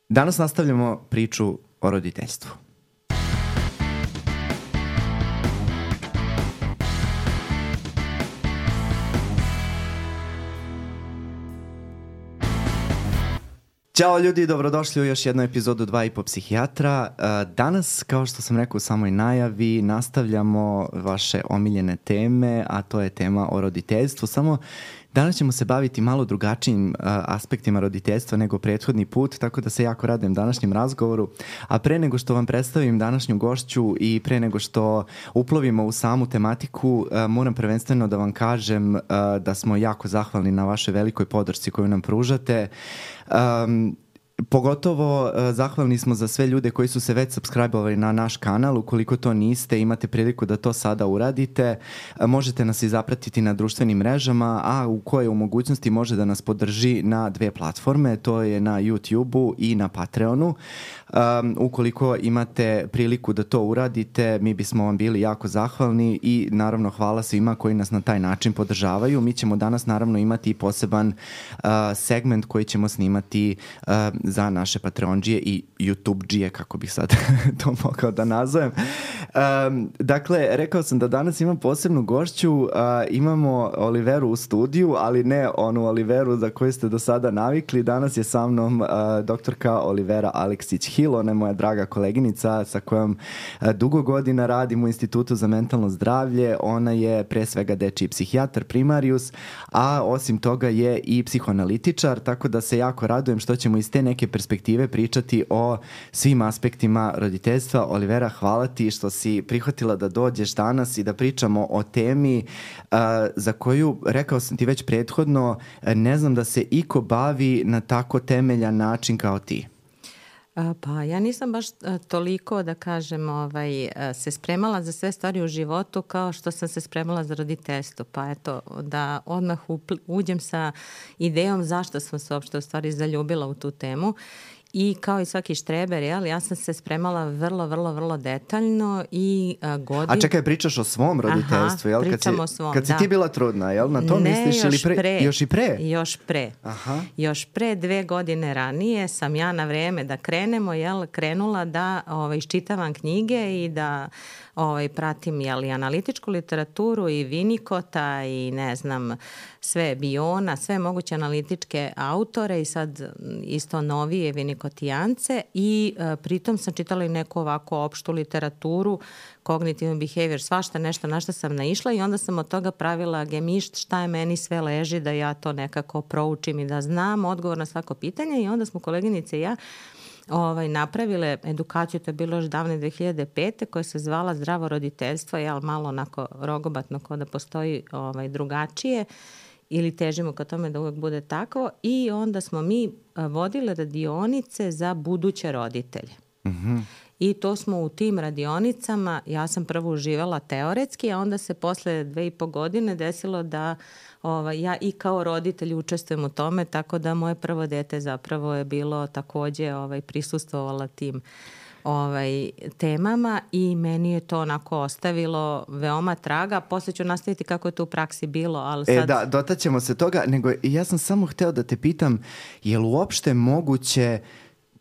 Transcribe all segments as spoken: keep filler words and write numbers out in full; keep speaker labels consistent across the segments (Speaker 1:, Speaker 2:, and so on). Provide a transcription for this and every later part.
Speaker 1: Danas nastavljamo priču o roditeljstvu. Ćao ljudi, dobrodošli u još jednu epizodu dva i po psihijatra. Danas, kao što sam rekao u samoj najavi, nastavljamo vaše omiljene teme, a to je tema o roditeljstvu. Samo danas ćemo se baviti malo drugačijim uh, aspektima roditeljstva nego prethodni put, tako da se jako radujem današnjem razgovoru. A pre nego što vam predstavim današnju gošću i pre nego što uplovimo u samu tematiku, uh, moram prvenstveno da vam kažem uh, da smo jako zahvalni na vašoj velikoj podršci koju nam pružate. Um, Pogotovo uh, zahvalni smo za sve ljude koji su se već subscribe-ovali na naš kanal. Ukoliko to niste, imate priliku da to sada uradite. Uh, možete nas i zapratiti na društvenim mrežama, a u kojoj u mogućnosti može da nas podrži na dve platforme. To je na YouTube-u i na Patreonu. Um, ukoliko imate priliku da to uradite, mi bismo vam bili jako zahvalni i naravno hvala svima koji nas na taj način podržavaju. Mi ćemo danas naravno imati i poseban uh, segment koji ćemo snimati uh, za naše Patreondžije i YouTubeđije, kako bih sad to mogao da nazovem. Um, dakle, rekao sam da danas imam posebnu gošću, uh, imamo Oliveru u studiju, ali ne onu Oliveru za koju ste do sada navikli. Danas je sa mnom uh, doktorka Olivera Aleksić-Hill, ona je moja draga koleginica sa kojom uh, dugo godina radim u Institutu za mentalno zdravlje. Ona je pre svega dečiji psihijatar primarius, a osim toga je i psihoanalitičar, tako da se jako radujem što ćemo iz te neke perspektive pričati o svim aspektima roditeljstva. Olivera, hvala ti što si prihvatila da dođeš danas i da pričamo o temi uh, za koju, rekao sam ti već prethodno, ne znam da se iko bavi na tako temeljan način kao ti.
Speaker 2: Pa ja nisam baš toliko, da kažem, ovaj, se spremala za sve stvari u životu kao što sam se spremala za roditeljstvo. Pa eto, da odmah uđem sa idejom zašto sam se uopšte u stvari zaljubila u tu temu. I kao i svaki štreber, jel, ja sam se spremala vrlo, vrlo, vrlo detaljno i a, godin...
Speaker 1: A čekaj, pričaš o svom roditeljstvu, jel?
Speaker 2: Aha,
Speaker 1: kad si,
Speaker 2: pričam o svom,
Speaker 1: kad si
Speaker 2: da.
Speaker 1: ti bila trudna, jel? Na to
Speaker 2: ne,
Speaker 1: misliš ili pre?
Speaker 2: pre?
Speaker 1: Još i pre?
Speaker 2: Još pre.
Speaker 1: Aha.
Speaker 2: Još pre dve godine ranije sam ja na vreme da krenemo, jel, krenula da ovaj, iščitavam knjige i da ovaj, pratim, jel, i analitičku literaturu i Vinikota i ne znam, sve Biona, sve moguće analitičke autore i sad isto novije Vinikotijance i uh, pritom sam čitala i neku ovako opštu literaturu, cognitive behavior, svašta nešto na što sam naišla i onda sam od toga pravila gemišt šta je meni sve leži da ja to nekako proučim i da znam odgovor na svako pitanje i onda smo koleginice i ja Ovaj, napravile edukaciju, to je bilo još davne dve hiljade pete koja se zvala Zdravo roditeljstvo, jel, malo onako rogobatno kao da postoji ovaj, drugačije ili težimo ka tome da uvek bude takvo i onda smo mi vodile radionice za buduće roditelje.
Speaker 1: Mm-hmm.
Speaker 2: I to smo u tim radionicama, ja sam prvo uživala teoretski, a onda se posle dve i po godine desilo da ovaj, ja i kao roditelj učestvujem u tome, tako da moje prvo dete zapravo je bilo takođe ovaj, prisustvovala tim ovaj, temama i meni je to onako ostavilo veoma traga. Posle ću nastaviti kako je to u praksi bilo, ali sad...
Speaker 1: E da, dotaćemo se toga, nego ja sam samo hteo da te pitam, je li uopšte moguće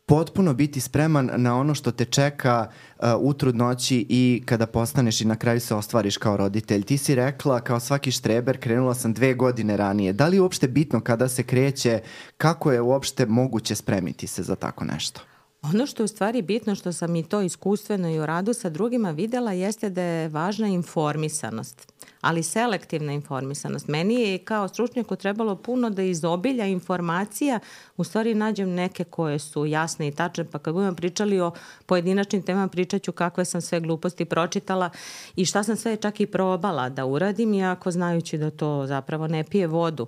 Speaker 1: potpuno biti spreman na ono što te čeka uh, u trudnoći i kada postaneš i na kraju se ostvariš kao roditelj. Ti si rekla, kao svaki štreber, krenula sam dve godine ranije. Da li je uopšte bitno kada se kreće, kako je uopšte moguće spremiti se za tako nešto?
Speaker 2: Ono što je u stvari bitno, što sam i to iskustveno i u radu sa drugima videla, jeste da je važna informisanost, ali selektivna informisanost. Meni je kao stručnjaku trebalo puno da iz obilja informacija u stvari nađem neke koje su jasne i tačne, pa kad budemo pričali o pojedinačnim temama, pričat ću kakve sam sve gluposti pročitala i šta sam sve čak i probala da uradim, iako znajući da to zapravo ne pije vodu.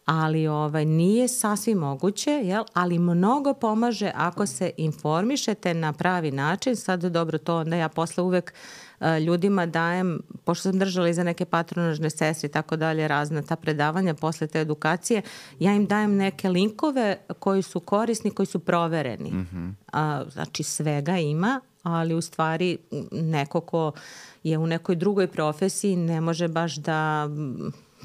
Speaker 2: Ali ovaj, nije sasvim moguće, jel? Ali mnogo pomaže ako se informišete na pravi način. Sad dobro, to onda ja posle uvek uh, ljudima dajem, pošto sam držala i za neke patronažne sestre i tako dalje, razna ta predavanja posle te edukacije, ja im dajem neke linkove koji su korisni, koji su provereni. Mm-hmm. Uh, znači svega ima, ali u stvari neko ko je u nekoj drugoj profesiji ne može baš da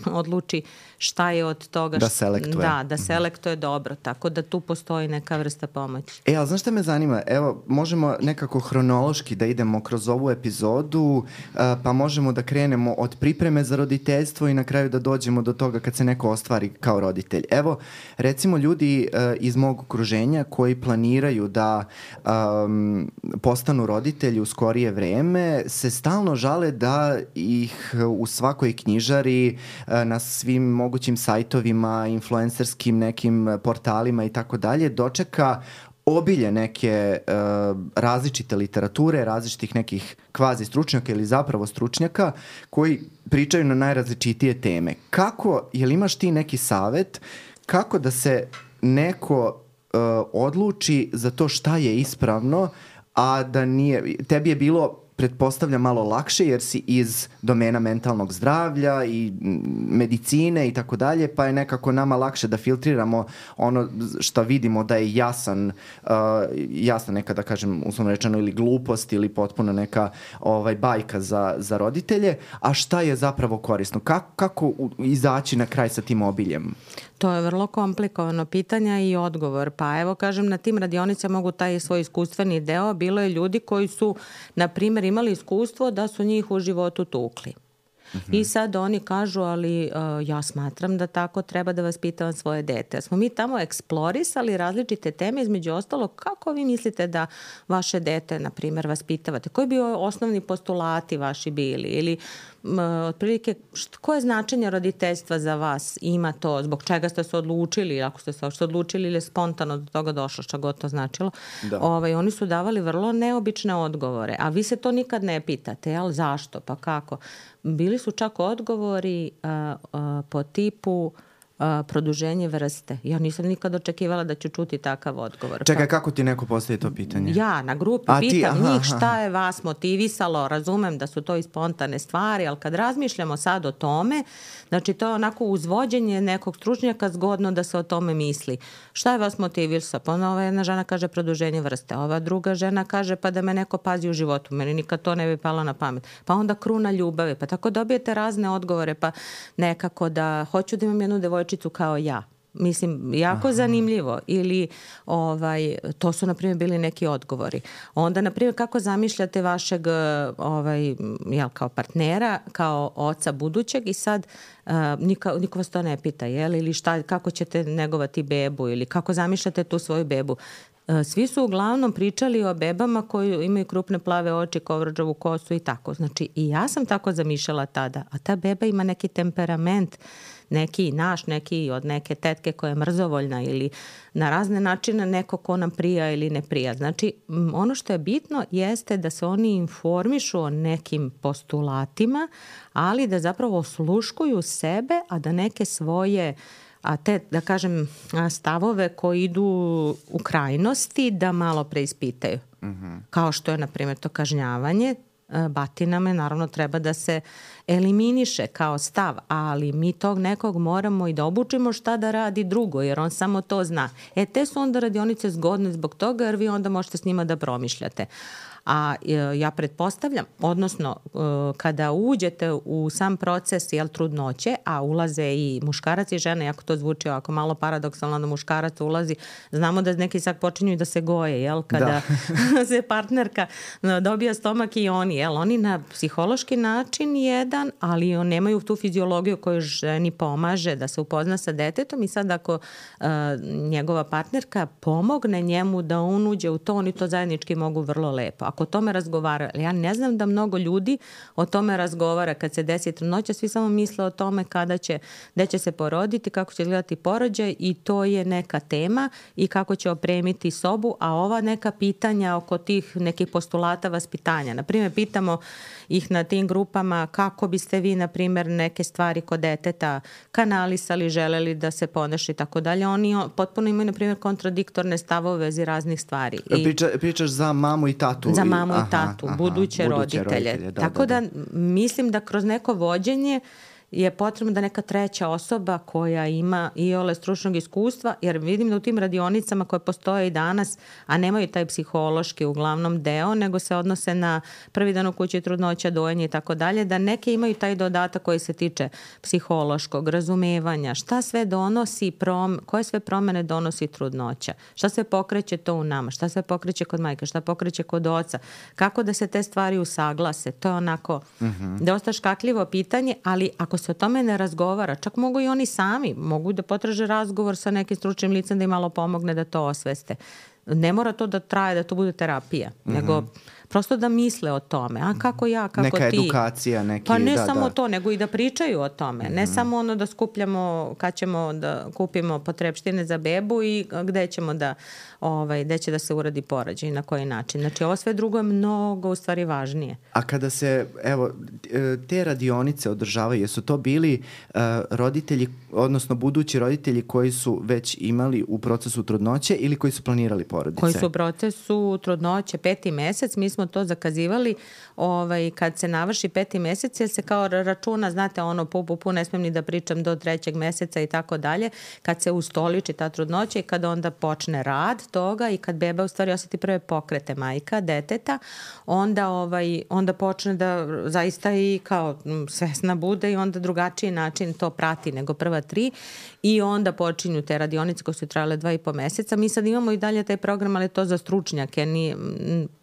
Speaker 2: odluči šta je od toga.
Speaker 1: Da selektuje.
Speaker 2: Da, da selektuje dobro, tako da tu postoji neka vrsta pomoći.
Speaker 1: E, ali znaš šta me zanima? Evo, možemo nekako hronološki da idemo kroz ovu epizodu, pa možemo da krenemo od pripreme za roditeljstvo i na kraju da dođemo do toga kad se neko ostvari kao roditelj. Evo, recimo ljudi iz mog okruženja koji planiraju da um, postanu roditelji u skorije vreme se stalno žale da ih u svakoj knjižari, na svim mogućim sajtovima, influencerskim nekim portalima i tako dalje dočeka obilje neke uh, različite literature, različitih nekih kvazi stručnjaka ili zapravo stručnjaka koji pričaju na najrazličitije teme. Kako, jel imaš ti neki savet kako da se neko uh, odluči za to šta je ispravno, a da nije, tebi je bilo pretpostavljam malo lakše jer si iz domena mentalnog zdravlja i medicine i tako dalje, pa je nekako nama lakše da filtriramo ono što vidimo da je jasan, uh, jasna neka, da kažem, uslovno rečeno, ili glupost ili potpuno neka ovaj, bajka za, za roditelje, a šta je zapravo korisno? Kako, kako izaći na kraj sa tim obiljem?
Speaker 2: To je vrlo komplikovano pitanje i odgovor. Pa evo kažem, na tim radionicama mogu taj svoj iskustveni deo. Bilo je ljudi koji su, na primjer, imali iskustvo da su njih u životu tukli. Mm-hmm. I sad oni kažu, ali uh, ja smatram da tako treba da vaspitavam svoje dete. Smo mi tamo eksplorisali različite teme, između ostalo, kako vi mislite da vaše dete, na primjer, vaspitavate? Koji bi osnovni postulati vaši bili? Ili um, otprilike, št, koje značenje roditeljstva za vas ima to? Zbog čega ste se odlučili? Ako ste se odlučili ili spontano do toga došlo, što god to značilo. Da. Ovaj, oni su davali vrlo neobične odgovore. A vi se to nikad ne pitate, jel? Zašto? Pa kako? Bili su čak odgovori a, a, po tipu a, produženje vrste. Ja nisam nikad očekivala da ću čuti takav odgovor.
Speaker 1: Čekaj, pa, kako ti neko postavi to pitanje?
Speaker 2: Ja, na grupi a pitam ti, aha, njih šta je vas motivisalo. Razumem da su to i spontane stvari, ali kad razmišljamo sad o tome, znači to je onako uzvođenje nekog stručnjaka zgodno da se o tome misli. Šta je vas motivisalo? Pa ova jedna žena kaže produženje vrste, ova druga žena kaže pa da me neko pazi u životu. Meni nikad to ne bi palo na pamet. Pa onda kruna ljubavi. Pa tako dobijete razne odgovore, pa nekako da hoću da imam jednu devojčicu kao ja. Mislim, jako Aha. zanimljivo. Ili, ovaj, to su, na primjer, bili neki odgovori. Onda, na primjer, kako zamišljate vašeg, ovaj, jel, kao partnera, kao oca budućeg i sad uh, niko, niko vas to ne pita, jel? Ili šta, kako ćete negovati bebu ili kako zamišljate tu svoju bebu. Svi su uglavnom pričali o bebama koji imaju krupne plave oči, kovrđavu kosu i tako. Znači, i ja sam tako zamišljala tada. A ta beba ima neki temperament, neki naš, neki od neke tetke koja je mrzovoljna ili na razne načine neko ko nam prija ili ne prija. Znači, ono što je bitno jeste da se oni informišu o nekim postulatima, ali da zapravo osluškuju sebe, a da neke svoje a te, da kažem, stavove koji idu u krajnosti da malo preispitaju. Mm-hmm. Kao što je, na primjer, to kažnjavanje batinama, naravno treba da se eliminiše kao stav, ali mi tog nekog moramo i da obučimo šta da radi drugo, jer on samo to zna. E, te su onda radionice zgodne zbog toga, jer vi onda možete s njima da promišljate. A ja pretpostavljam, odnosno kada uđete u sam proces jel, trudnoće, a ulaze i muškarac i žena, jako to zvuči ovako malo paradoksalno da muškarac ulazi, znamo da neki sad počinju da se goje, jel, kada da. se partnerka dobija stomak i oni, jel, oni na psihološki način jedan, ali on nemaju tu fiziologiju koju ženi pomaže da se upozna sa detetom i sad ako uh, njegova partnerka pomogne njemu da on uđe u to, oni to zajednički mogu vrlo lepo. Ako o tome razgovara, ja ne znam da mnogo ljudi o tome razgovara kad se desi trudnoća, svi samo misle o tome kada će, gde će se poroditi, kako će izgledati porođaj i to je neka tema i kako će opremiti sobu, a ova neka pitanja oko tih nekih postulata vaspitanja. Naprimjer, pitamo ih na tim grupama kako biste vi, na primjer, neke stvari kod deteta kanalisali, želeli da se ponaša i tako dalje. Oni potpuno imaju, na primjer, kontradiktorne stavove u vezi raznih stvari. I
Speaker 1: Priča, pričaš za mamu i tatu.
Speaker 2: Za mamu aha, i tatu, aha, buduće, buduće roditelje. roditelje. Da, tako da, da, da mislim da kroz neko vođenje je potrebno da neka treća osoba koja ima i ole stručnog iskustva, jer vidim da u tim radionicama koje postoje i danas, a nemaju taj psihološki uglavnom deo, nego se odnose na prvi dan u kući, trudnoća, dojenje i tako dalje, da neke imaju taj dodatak koji se tiče psihološkog razumevanja, šta sve donosi, prom, koje sve promene donosi trudnoća, šta sve pokreće to u nama, šta sve pokreće kod majke, šta pokreće kod oca, kako da se te stvari usaglase. To je onako mm-hmm. dosta škakljivo pitanje, ali ako se o tome ne razgovara, čak mogu i oni sami, mogu da potraže razgovor sa nekim stručnim licem da im malo pomogne da to osveste. Ne mora to da traje, da to bude terapija, mm-hmm. nego prosto da misle o tome. A kako ja, kako
Speaker 1: neka
Speaker 2: ti.
Speaker 1: Neka edukacija, neki...
Speaker 2: Pa ne
Speaker 1: da,
Speaker 2: samo
Speaker 1: da.
Speaker 2: to, nego i da pričaju o tome. Mm-hmm. Ne samo ono da skupljamo kad ćemo da kupimo potrepštine za bebu i gde ćemo da, ovaj, gde će da se uradi porođaj i na koji način. Znači ovo sve drugo je mnogo u stvari važnije.
Speaker 1: A kada se, evo, te radionice održavaju, jesu to bili uh, roditelji, odnosno budući roditelji koji su već imali u procesu trudnoće ili koji su planirali porodice?
Speaker 2: Koji su u procesu trudnoće peti mesec, mi smo to zakazivali ovaj, kad se navrši peti mesec, jer se kao računa, znate, ono, pu, pu, pu, ne smijem ni da pričam do trećeg meseca i tako dalje, kad se ustoliči ta trudnoća i kad onda počne rad toga i kad beba u stvari osjeti prve pokrete majka, deteta, onda, ovaj, onda počne da zaista i kao svesna bude i onda drugačiji način to prati nego prva tri i onda počinju te radionice koje su trajale dva i po meseca. Mi sad imamo i dalje taj program, ali to za stručnjake, ni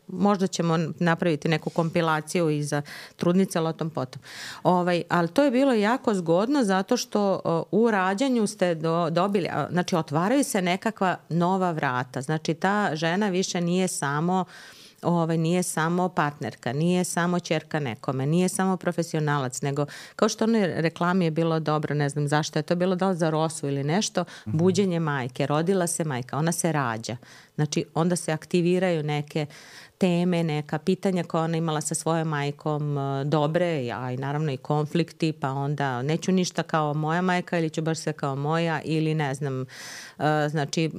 Speaker 2: možda ćemo napraviti neku kompilaciju i za trudnice, ali o tom potom. Ovaj, ali to je bilo jako zgodno zato što u rađanju ste do, dobili, znači otvaraju se nekakva nova vrata. Znači ta žena više nije samo Ovaj, nije samo partnerka, nije samo ćerka nekome, nije samo profesionalac, nego kao što onoj reklami je bilo dobro, ne znam zašto je to bilo, da li za Rosu ili nešto, mm-hmm. buđenje majke, rodila se majka, ona se rađa. Znači onda se aktiviraju neke teme, neka pitanja koja ona imala sa svojom majkom dobre, a i naravno i konflikti, pa onda neću ništa kao moja majka ili ću baš sve kao moja ili ne znam, znači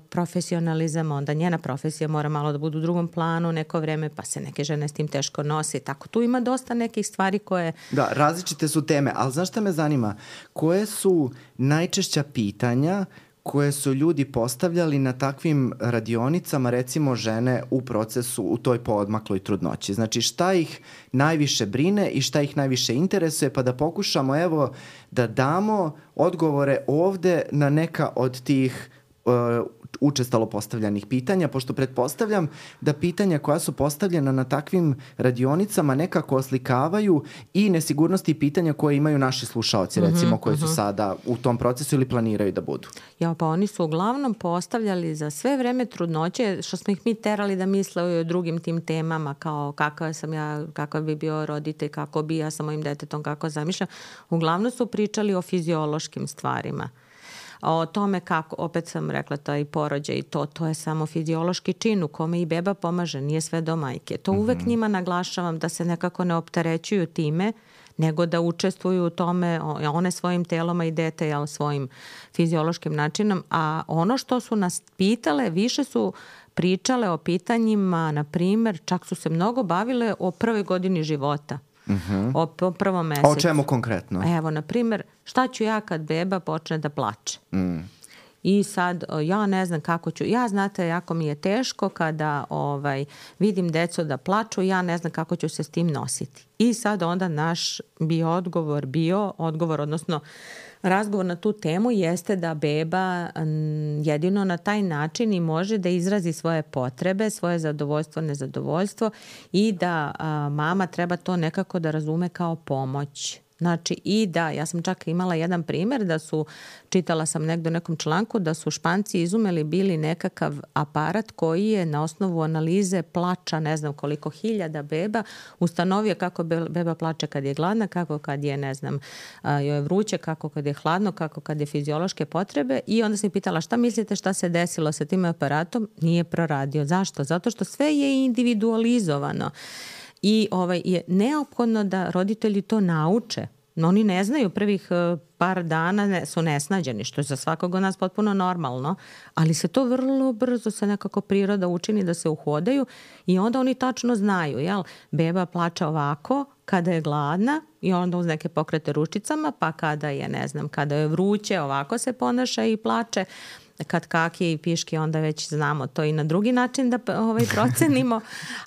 Speaker 2: profesionalizam, onda njena profesija mora malo da bude u drugom planu neko vreme, pa se neke žene s tim teško nose. Tako tu ima dosta nekih stvari koje...
Speaker 1: Da, različite su teme, ali znaš šta me zanima? Koje su najčešća pitanja koje su ljudi postavljali na takvim radionicama, recimo žene u procesu, u toj poodmakloj trudnoći? Znači šta ih najviše brine i šta ih najviše interesuje, pa da pokušamo evo da damo odgovore ovde na neka od tih uh, učestalo postavljanih pitanja, pošto pretpostavljam da pitanja koja su postavljena na takvim radionicama nekako oslikavaju i nesigurnosti i pitanja koje imaju naši slušaoci, recimo, uh-huh, koji su uh-huh. sada u tom procesu ili planiraju da budu.
Speaker 2: Ja, pa oni su uglavnom postavljali za sve vreme trudnoće, što smo ih mi terali da misle o drugim tim temama, kao kakav sam ja, kakav bi bio roditelj, kako bi ja sa mojim detetom, kako zamišljam. Uglavnom su pričali o fiziološkim stvarima. O tome kako, opet sam rekla, taj porođaj i to, to je samo fiziološki čin u kome i beba pomaže, nije sve do majke. To uvek mm-hmm. njima naglašavam da se nekako ne opterećuju time, nego da učestvuju u tome, one svojim telom i dete, jel, svojim fiziološkim načinom. A ono što su nas pitale, više su pričale o pitanjima, na primjer, čak su se mnogo bavile o prvoj godini života. Uh-huh. O, o prvom mesecu.
Speaker 1: O čemu konkretno?
Speaker 2: Evo, na primjer, šta ću ja kad beba počne da plače? Mm. I sad, ja ne znam kako ću, ja znate, jako mi je teško kada ovaj, vidim decu da plaču, ja ne znam kako ću se s tim nositi. I sad onda naš bi odgovor bio, odgovor, odnosno razgovor na tu temu jeste da beba jedino na taj način i može da izrazi svoje potrebe, svoje zadovoljstvo, nezadovoljstvo i da a, mama treba to nekako da razume kao pomoć. Znači i da, ja sam čak imala jedan primjer da su, čitala sam negdje u nekom članku, da su Španci izumeli bili nekakav aparat koji je na osnovu analize plača, ne znam koliko hiljada beba, ustanovio kako beba plače kad je gladna, kako kad je, ne znam, joj je vruće, kako kad je hladno, kako kad je fiziološke potrebe i onda sam pitala šta mislite šta se desilo sa tim aparatom? Nije proradio. Zašto? Zato što sve je individualizovano. I ovaj, je neophodno da roditelji to nauče. oni ne znaju prvih par dana ne, su nesnađeni, što je za svakog od nas potpuno normalno, ali se to vrlo brzo se nekako priroda učini da se uhodaju i onda oni tačno znaju, jel? Beba plače ovako kada je gladna i onda uz neke pokrete ručicama, pa kada je, ne znam, kada je vruće, ovako se ponaša i plače. Kad kaki i piški, onda već znamo to i na drugi način da ovaj, procenimo.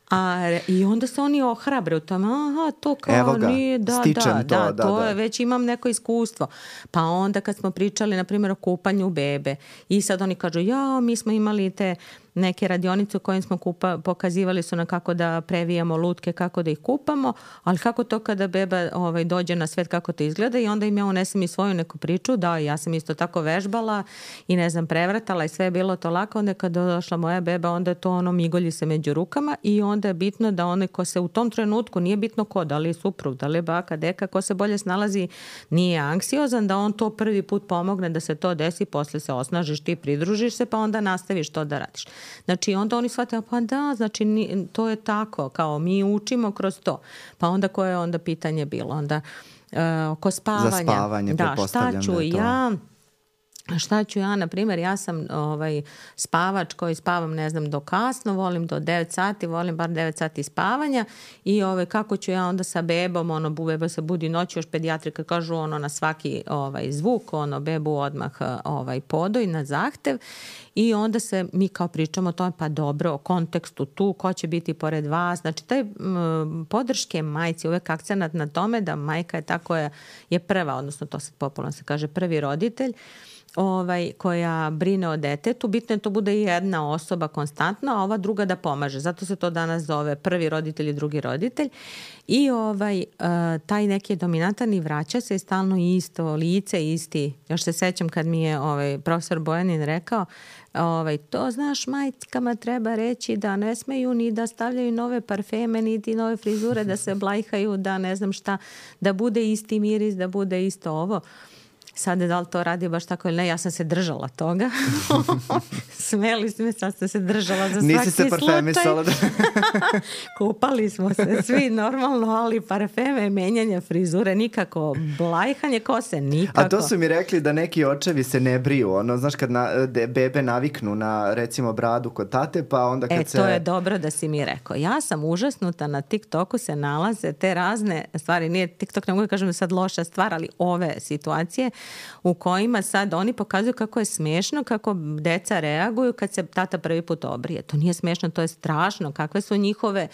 Speaker 2: A, i onda se oni ohrabre u tome, aha, to kao
Speaker 1: ga,
Speaker 2: nije, da, da,
Speaker 1: to,
Speaker 2: da,
Speaker 1: da,
Speaker 2: to
Speaker 1: da.
Speaker 2: je, već imam neko iskustvo. Pa onda kad smo pričali, na primjer, o kupanju bebe i sad oni kažu, ja, mi smo imali te neke radionice u kojim smo kupa, pokazivali su na kako da previjamo lutke, kako da ih kupamo, ali kako to kada beba ovaj, dođe na svet, kako to izgleda i onda im ja unesem i svoju neku priču, da, ja sam isto tako vežbala i ne znam, prevratala i sve je bilo to lako, onda kada došla moja beba, onda je to ono migolji se među rukama i onda je bitno da onaj ko se u tom trenutku, nije bitno ko, da li je suprug, da li je baka, deka, ko se bolje snalazi, nije anksiozan, da on to prvi put pomogne da se to desi, posle se osnažiš, ti pridružiš se, pa onda nastaviš to da radiš. Znači onda oni shvate, pa da, znači to je tako, kao mi učimo kroz to. Pa onda koje je onda pitanje bilo? Onda uh, oko spavanja.
Speaker 1: Za spavanje,
Speaker 2: da, šta ću
Speaker 1: da je to...
Speaker 2: ja... Šta ću ja, na primjer, ja sam ovaj, spavač koji spavam, ne znam, do kasno, volim do devet sati, volim bar devet sati spavanja i ovaj, kako ću ja onda sa bebom, ono, beba se budi noći, još pedijatri kad kažu ono na svaki ovaj, zvuk, ono, bebu odmah ovaj, podoj na zahtev i onda se mi kao pričamo o tome, pa dobro, o kontekstu tu, ko će biti pored vas, znači taj m, podrške majci, uvek akcenat na tome da majka je ta koja je prva, odnosno to se popularno se kaže prvi roditelj, Ovaj, koja brine o detetu, bitno je to bude jedna osoba konstantno, a ova druga da pomaže. Zato se to danas zove prvi roditelj i drugi roditelj. I ovaj, taj neki dominantan i vraća se stalno isto, lice isti. Još se sećam kad mi je ovaj, profesor Bojanin rekao, ovaj, to znaš, majkama treba reći da ne smeju ni da stavljaju nove parfeme, niti nove frizure, da se blajhaju, da ne znam šta, da bude isti miris, da bude isto ovo. Sad da li to radi baš tako ili ne, ja sam se držala toga. Smeli smo, sad sam se držala za svaki slučaj.
Speaker 1: Nisi se parfemisala. Da...
Speaker 2: Kupali smo se svi normalno, ali parfeme, menjanje frizure, nikako, blajhanje kose, nikako.
Speaker 1: A to su mi rekli da neki očevi se ne briju, ono, znaš, kad na, de, bebe naviknu na, recimo, bradu kod tate, pa onda kad
Speaker 2: e,
Speaker 1: se...
Speaker 2: E, to je dobro da si mi rekao. Ja sam užasnuta, na TikToku se nalaze te razne stvari, nije TikTok, ne mogu da kažem da sad loša stvar, ali ove situacije u kojima sad oni pokazuju kako je smešno, kako deca reaguju kad se tata prvi put obrije. To nije smešno, to je strašno. Kakve su njihove...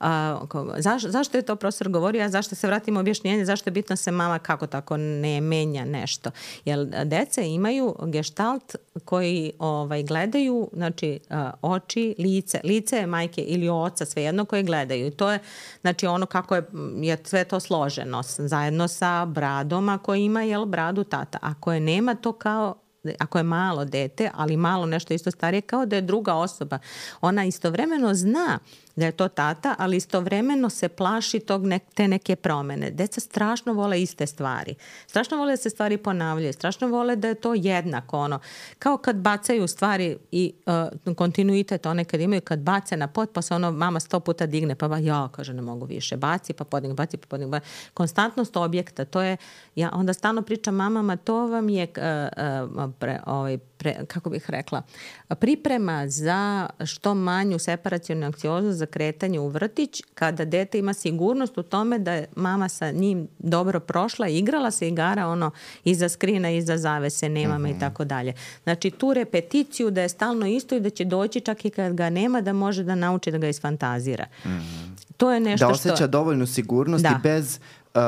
Speaker 2: A, zaš, zašto je to profesor govorio, a zašto se vratimo objašnjenje, zašto je bitno se mama kako tako ne menja nešto. Jer deca imaju geštalt koji ovaj, gledaju, znači a, oči, lice. Lice je majke ili oca, svejedno, koje gledaju. I to je, znači ono kako je, je sve to složeno, zajedno sa bradom, ako ima, jel, bradu tata. Ako je nema, to kao ako je malo dete, ali malo nešto isto starije, kao da je druga osoba. Ona istovremeno zna da je to tata, ali istovremeno se plaši tog ne, te neke promene. Deca strašno vole iste stvari. Strašno vole da se stvari ponavljaju. Strašno vole da je to jednako. Ono. Kao kad bacaju stvari i uh, kontinuitet one kad imaju, kad bace na pod, pa se ono mama sto puta digne, pa ba, ja, kaže, ne mogu više. Baci, pa podigne, baci, pa podigne. Konstantnost objekta, to je, ja onda stalno pričam mamama, to vam je, uh, uh, pre, ovaj, pre, kako bih rekla, priprema za što manju separacionu anksioznost, za kretanje u vrtić, kada dete ima sigurnost u tome da je mama sa njim dobro prošla, igrala se igara ono iza skrina, iza zavese, nema me, mm-hmm, i tako dalje. Znači tu repeticiju da je stalno isto i da će doći čak i kad ga nema da može da nauči da ga isfantazira. Mm-hmm. To je nešto
Speaker 1: da osjeća
Speaker 2: što...
Speaker 1: dovoljnu sigurnost
Speaker 2: da.
Speaker 1: i bez uh,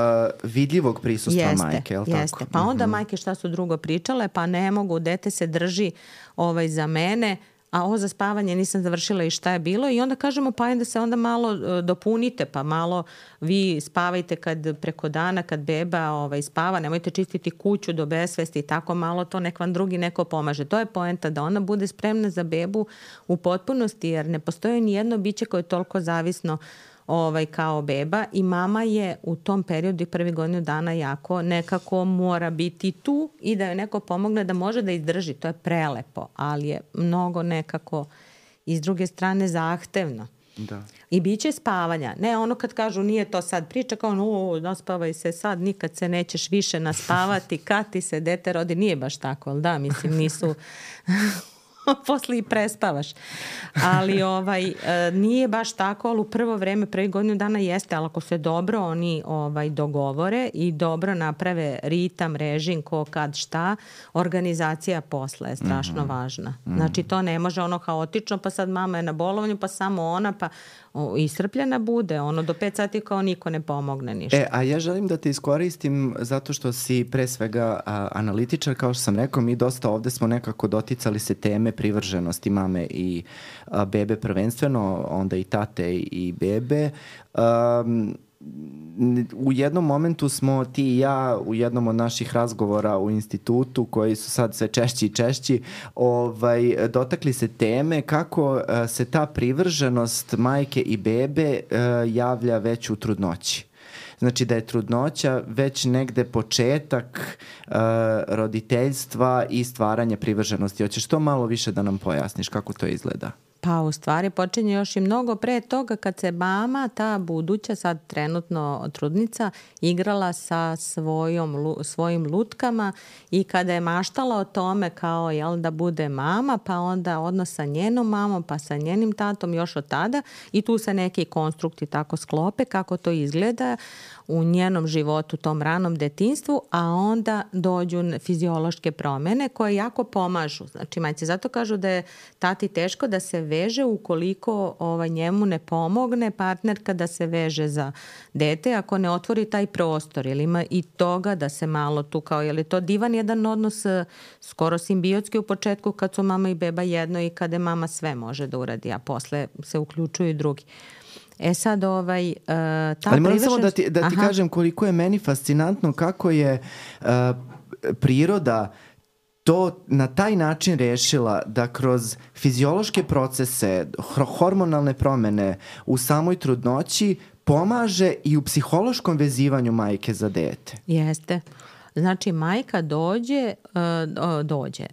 Speaker 1: vidljivog prisustva
Speaker 2: jeste,
Speaker 1: majke, je li
Speaker 2: jeste.
Speaker 1: tako?
Speaker 2: Pa onda
Speaker 1: mm-hmm.
Speaker 2: majke šta su drugo pričale, pa ne mogu, dete se drži ovaj, za mene, a ovo za spavanje nisam završila i šta je bilo i onda kažemo pa ajde se onda malo uh, dopunite, pa malo vi spavajte kad preko dana, kad beba ovaj, spava, nemojte čistiti kuću do besvesti i tako malo to nek vam drugi neko pomaže. To je poenta da ona bude spremna za bebu u potpunosti jer ne postoji ni jedno biće koje je toliko zavisno ovaj, kao beba i mama je u tom periodu i prvi godinu dana jako nekako mora biti tu i da joj neko pomogne da može da izdrži. To je prelepo, ali je mnogo nekako iz druge strane zahtevno.
Speaker 1: Da.
Speaker 2: I bit će spavanja. Ne ono kad kažu nije to sad priča, kao ono, naspavaj se sad, nikad se nećeš više naspavati, kad ti se dete rodi, nije baš tako, ali da, mislim, nisu... posle i prespavaš. Ali ovaj, nije baš tako, ali u prvo vreme, prvi godinu dana jeste, ali ako se dobro oni ovaj, dogovore i dobro naprave ritam, režim, ko, kad, šta, organizacija posle je strašno mm-hmm. važna. Mm-hmm. Znači to ne može ono haotično, pa sad mama je na bolovanju, pa samo ona, pa o, iscrpljena bude. Ono do pet sati kao niko ne pomogne ništa.
Speaker 1: E, a ja želim da te iskoristim zato što si pre svega a, analitičar, kao što sam rekao, mi dosta ovde smo nekako doticali se teme privrženosti mame i a, bebe prvenstveno, onda i tate i bebe. Um, u jednom momentu smo ti i ja u jednom od naših razgovora u institutu, koji su sad sve češći i češći, ovaj, dotakli se teme kako uh, se ta privrženost majke i bebe uh, javlja već u trudnoći. Znači da je trudnoća već negde početak uh, roditeljstva i stvaranja privrženosti. Hoćeš to malo više da nam pojasniš kako to izgleda?
Speaker 2: Pa u stvari počinje još i mnogo pre toga kad se mama, ta buduća, sad trenutno trudnica, igrala sa svojom, svojim lutkama i kada je maštala o tome kao jel, da bude mama, pa onda odnos sa njenom mamom, pa sa njenim tatom još od tada i tu se neki konstrukti tako sklope kako to izgleda u njenom životu, tom ranom detinjstvu, a onda dođu fiziološke promene koje jako pomažu. Znači, majci zato kažu da je tati teško da se veže ukoliko ovaj, njemu ne pomogne partnerka da se veže za dete, ako ne otvori taj prostor. Jer ima i toga da se malo tu kao, je li to divan jedan odnos skoro simbiotski u početku kad su mama i beba jedno i kada mama sve može da uradi, a posle se uključuju i drugi. E sad ovaj, uh, ta
Speaker 1: Ali moram
Speaker 2: privrženost...
Speaker 1: samo da ti, da ti kažem koliko je meni fascinantno kako je uh, priroda to na taj način rešila da kroz fiziološke procese, hormonalne promene u samoj trudnoći pomaže i u psihološkom vezivanju majke za dete.
Speaker 2: Jeste. Znači, majka dođe, uh, dođe,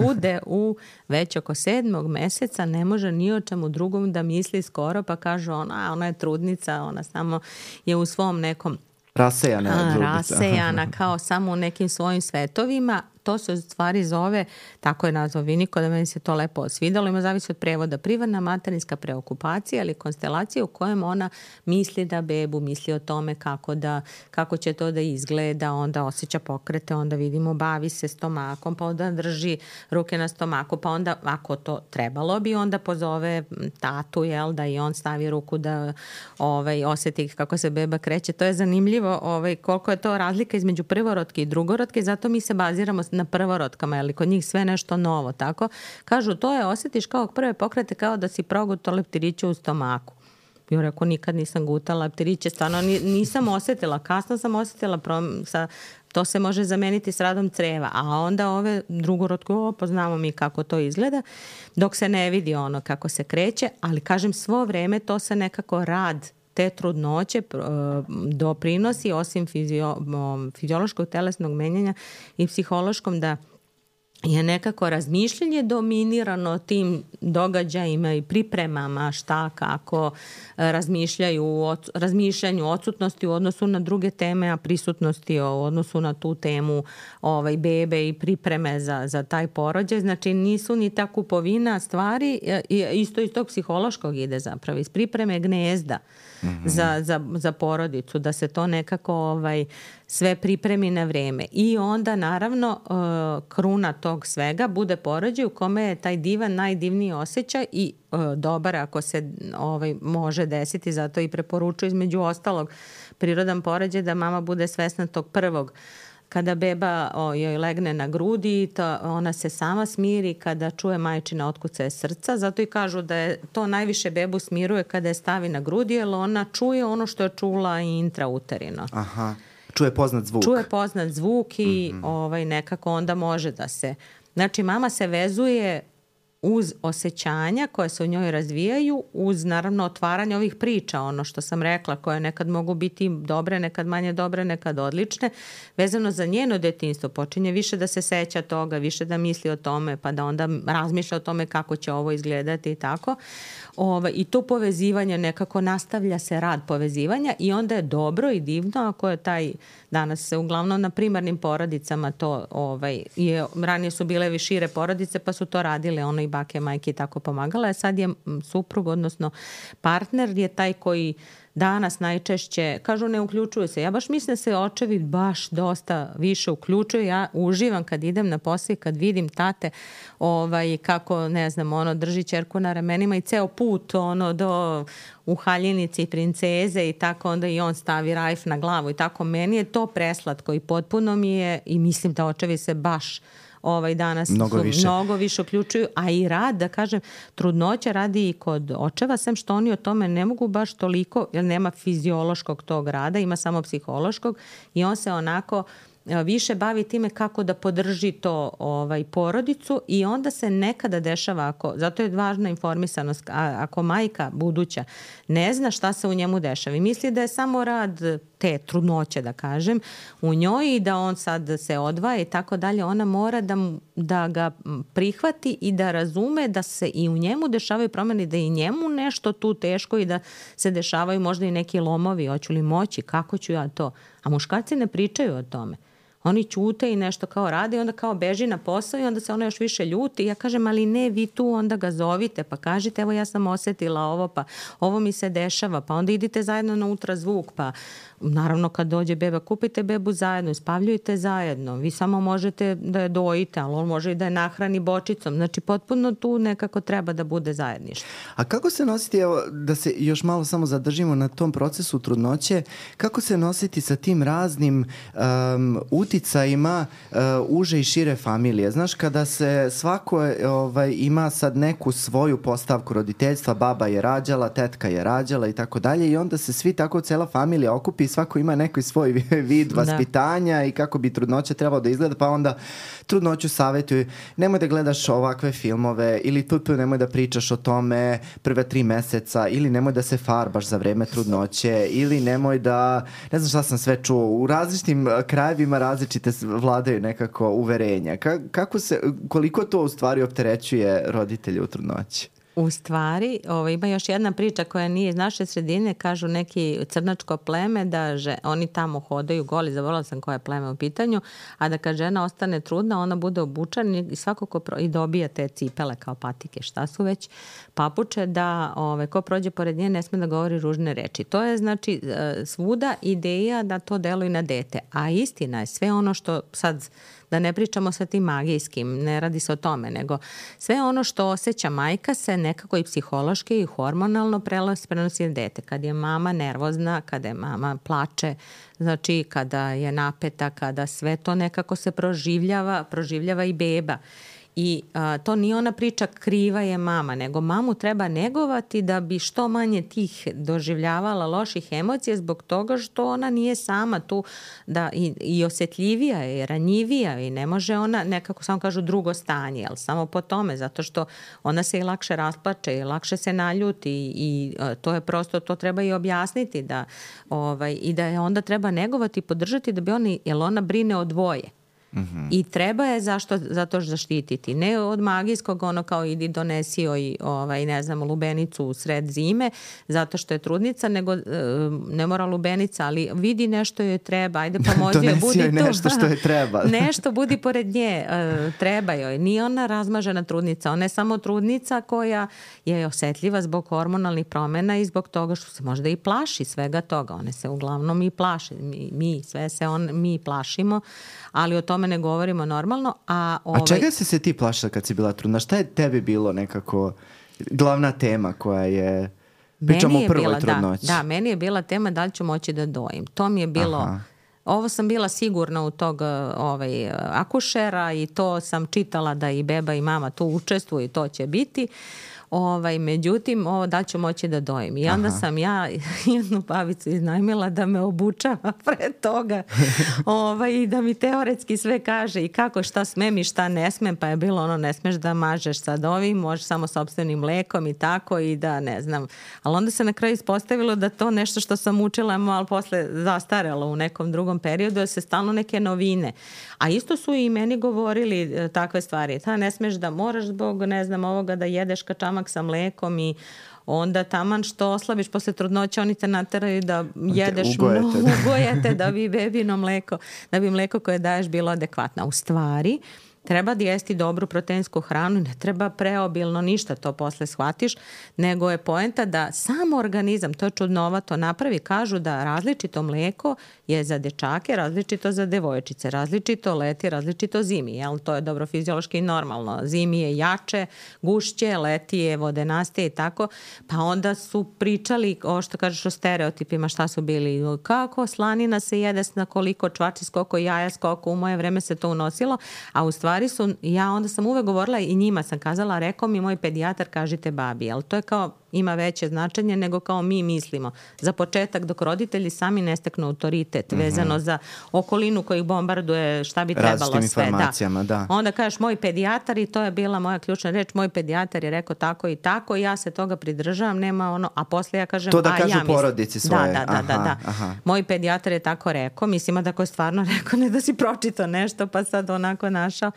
Speaker 2: bude u već oko sedmog meseca, ne može ni o čemu drugom da misli skoro, pa kaže ona, ona je trudnica, ona samo je u svom nekom
Speaker 1: rasejana,
Speaker 2: a, rasejana kao samo u nekim svojim svetovima. To se u stvari zove, tako je nazvao Viniko, da meni se to lepo svidalo, ima zavisi od prevoda, primarna materinska preokupacija ili konstelacija u kojem ona misli da bebu, misli o tome kako, da, kako će to da izgleda, onda osjeća pokrete, onda vidimo bavi se stomakom, pa onda drži ruke na stomaku, pa onda ako to trebalo bi, onda pozove tatu, jel, da i on stavi ruku da ovaj, osjeti kako se beba kreće. To je zanimljivo ovaj, koliko je to razlika između prvorodke i drugorodke, zato mi se baziramo na prvorotkama, ali kod njih sve nešto novo, tako? Kažu, to je, osjetiš kao prve pokrete kao da si progutao leptiriće u stomaku. Ja rekao, nikad nisam gutala leptiriće, stvarno nisam osjetila, kasno sam osjetila, prom, sa, to se može zameniti s radom creva, a onda ove drugorodke, o, poznamo mi kako to izgleda, dok se ne vidi ono kako se kreće, ali kažem, svo vreme to se nekako rad te trudnoće doprinosi osim fizio, fiziološkog telesnog menjanja i psihološkom da je nekako razmišljanje dominirano tim događajima i pripremama šta, kako razmišljaju o razmišljanju odsutnosti u odnosu na druge teme, a prisutnosti u odnosu na tu temu ovaj, bebe i pripreme za, za taj porođaj. Znači nisu ni ta kupovina stvari, isto iz tog psihološkog ide zapravo, iz pripreme gnezda mm-hmm. za, za, za porodicu, da se to nekako ovaj, sve pripremi na vreme. I onda naravno kruna tog svega bude porođaj u kome je taj divan, najdivniji osjećaj i dobar ako se ovaj, može desiti, zato i preporučuju između ostalog prirodan porođaj da mama bude svesna tog prvog. Kada beba o, joj legne na grudi, to, ona se sama smiri kada čuje majčine otkucaje srca, zato i kažu da je to najviše bebu smiruje kada je stavi na grudi, jer ona čuje ono što je čula i intrauterino.
Speaker 1: Aha. Čuje poznat zvuk.
Speaker 2: Čuje poznat zvuk i mm-hmm. ovaj, nekako onda može da se... Znači, mama se vezuje uz osjećanja koje se u njoj razvijaju, uz naravno otvaranje ovih priča, ono što sam rekla, koje nekad mogu biti dobre, nekad manje dobre, nekad odlične, vezano za njeno detinjstvo, počinje više da se seća toga, više da misli o tome, pa da onda razmišlja o tome kako će ovo izgledati i tako. Ova, I to povezivanje nekako nastavlja se rad povezivanja i onda je dobro i divno ako je taj, danas se uglavnom na primarnim porodicama to, ovaj, je, ranije su bile šire porodice pa su to radile, ono i bake, majke i tako pomagala, a sad je suprug, odnosno partner je taj koji danas najčešće, kažu ne uključuju se. Ja baš mislim da se očevi baš dosta više uključuju. Ja uživam kad idem na posao i kad vidim tate ovaj, kako, ne znam, ono, drži ćerku na ramenima i ceo put ono, do u haljinici i princeze i tako onda i on stavi rajf na glavu i tako. Meni je to preslatko i potpuno mi je i mislim da očevi se baš ovaj danas
Speaker 1: mnogo više.
Speaker 2: mnogo više uključuju, a i rad, da kažem, trudnoća radi i kod očeva, sem što oni o tome ne mogu baš toliko, jer nema fiziološkog tog rada, ima samo psihološkog i on se onako više bavi time kako da podrži to ovaj, porodicu i onda se nekada dešava, ako, zato je važna informisanost, a, ako majka buduća ne zna šta se u njemu dešava i misli da je samo rad te trudnoće, da kažem, u njoj i da on sad se odvaja i tako dalje, ona mora da, da ga prihvati i da razume da se i u njemu dešavaju promjene, da i njemu nešto tu teško i da se dešavaju možda i neki lomovi, hoću li moći, kako ću ja to. A muškarci ne pričaju o tome. Oni ćute i nešto kao rade i onda kao beži na posao i onda se ona još više ljuti. I ja kažem, ali ne, vi tu onda ga zovite, pa kažite, evo ja sam osjetila ovo, pa ovo mi se dešava, pa onda idite zajedno na ultrazvuk, pa naravno kad dođe beba, kupite bebu zajedno, spavljujte zajedno, vi samo možete da je dojite, ali on može i da je nahrani bočicom. Znači, potpuno tu nekako treba da bude zajedništvo.
Speaker 1: A kako se nositi, evo, da se još malo samo zadržimo na tom procesu trudnoće, kako se nositi sa tim raznim um, uticajima uh, uže i šire familije? Znaš, kada se svako ovaj, ima sad neku svoju postavku roditeljstva, baba je rađala, tetka je rađala i tako dalje i onda se svi tako, cela familija okupi i svako ima neki svoj vid vaspitanja da. I kako bi trudnoća trebalo da izgleda, pa onda trudnoću savjetuju, nemoj da gledaš ovakve filmove ili tu, tu nemoj da pričaš o tome prve tri meseca ili nemoj da se farbaš za vreme trudnoće ili nemoj da, ne znam šta sam sve čuo, u različitim krajevima različite vladaju nekako uverenja. Ka, kako se, koliko to u stvari opterećuje roditelje u trudnoći?
Speaker 2: U stvari, ovo, ima još jedna priča koja nije iz naše sredine, kažu neki crnačko pleme da že, oni tamo hodaju goli, zaboravila sam koje pleme u pitanju, a da kad žena ostane trudna, ona bude obučena i svako ko pro, i dobija te cipele kao patike, šta su već, papuče, da ove, ko prođe pored nje ne sme da govori ružne reči. To je znači svuda ideja da to deluje na dete, a istina je sve ono što sad da ne pričamo sa tim magijskim, ne radi se o tome, nego sve ono što osjeća majka se nekako i psihološki i hormonalno prenosi na dete. Kad je mama nervozna, kada je mama plače, znači kada je napeta, kada sve to nekako se proživljava, proživljava i beba. I a, to nije ona priča kriva je mama, nego mamu treba negovati da bi što manje tih doživljavala loših emocija zbog toga što ona nije sama tu da i, i osjetljivija je, i ranjivija i ne može ona nekako samo kažu drugo stanje, ali samo po tome, zato što ona se i lakše rasplače i lakše se naljuti i, i a, to je prosto, to treba i objasniti da, ovaj, i da je onda treba negovati i podržati da bi oni, jer ona brine o dvoje. Mm-hmm. I treba je zašto, zato zaštititi. Ne od magijskog ono kao idi donesi joj ovaj, ne znam, lubenicu u sred zime zato što je trudnica, nego ne mora lubenica, ali vidi nešto joj treba, ajde pomozi joj, budi tu.
Speaker 1: nešto što joj treba.
Speaker 2: Nešto budi pored nje, treba joj. Nije ona razmažena trudnica, ona je samo trudnica koja je osjetljiva zbog hormonalnih promjena i zbog toga što se možda i plaši svega toga. One se uglavnom i plaše. Mi, mi sve se on, mi plašimo, ali o tome ne govorimo normalno. A, ovaj...
Speaker 1: a čega si se ti plašila kad si bila trudna? Šta je tebi bilo nekako glavna tema koja je... Pričamo o prvoj trudnoći.
Speaker 2: Da, da, meni je bila tema da li ću moći da dojim. To mi je bilo... Aha. Ovo sam bila sigurna u tog ovaj, akušera i to sam čitala da i beba i mama tu učestvuju i to će biti. Ovaj, međutim, ovo da ću moći da dojim. I onda Aha. sam ja jednu babicu iznajmila da me obučava pre toga ovaj, i da mi teoretski sve kaže i kako, šta smem i šta ne smem, pa je bilo ono, ne smeš da mažeš sad ovim, možeš samo sopstvenim mlekom i tako i da ne znam. Ali onda se na kraju ispostavilo da to nešto što sam učila, ali posle zastarelo u nekom drugom periodu, da se stalno neke novine. A isto su i meni govorili takve stvari. Ta ne smeš da moraš zbog, ne znam, ovoga da jedeš kačamak sa mlekom i onda taman što oslabiš posle trudnoće, oni te nateraju da jedeš mnogo, ugojete da bi bebino mleko, da bi mleko koje daješ bilo adekvatno. U stvari, treba da jesti dobru proteinsku hranu, ne treba preobilno ništa, to posle shvatiš, nego je poenta da sam organizam, to je čudnovato, napravi, kažu da različito mleko je za dečake, različito za devojčice, različito leti, različito zimi, jel? To je dobro fiziološki i normalno. Zimi je jače, gušće, leti je vodenastije i tako, pa onda su pričali, o što kažeš o stereotipima, šta su bili, kako slanina se jede na koliko čvači, koliko jaja, koliko u moje vreme se to unosilo, a u stvari su, ja onda sam uvek govorila i njima sam kazala, rekao mi moj pedijatar, kažite babi, ali to je kao, ima veće značenje nego kao mi mislimo. Za početak, dok roditelji sami ne steknu autoritet mm-hmm. vezano za okolinu koji ih bombarduje, šta bi trebalo sve.
Speaker 1: Različitim informacijama, da. da.
Speaker 2: Onda kažeš moj pedijatar i to je bila moja ključna reč, moj pedijatar je rekao tako i tako, ja se toga pridržavam, nema ono, a posle ja kažem,
Speaker 1: to da
Speaker 2: a
Speaker 1: kažu
Speaker 2: ja mislim.
Speaker 1: porodici svoje.
Speaker 2: Da, da, da, da, da. Aha. Moj pedijatar je tako rekao, mislim da ko je stvarno rekao, ne da si pročitao nešto pa sad onako našao,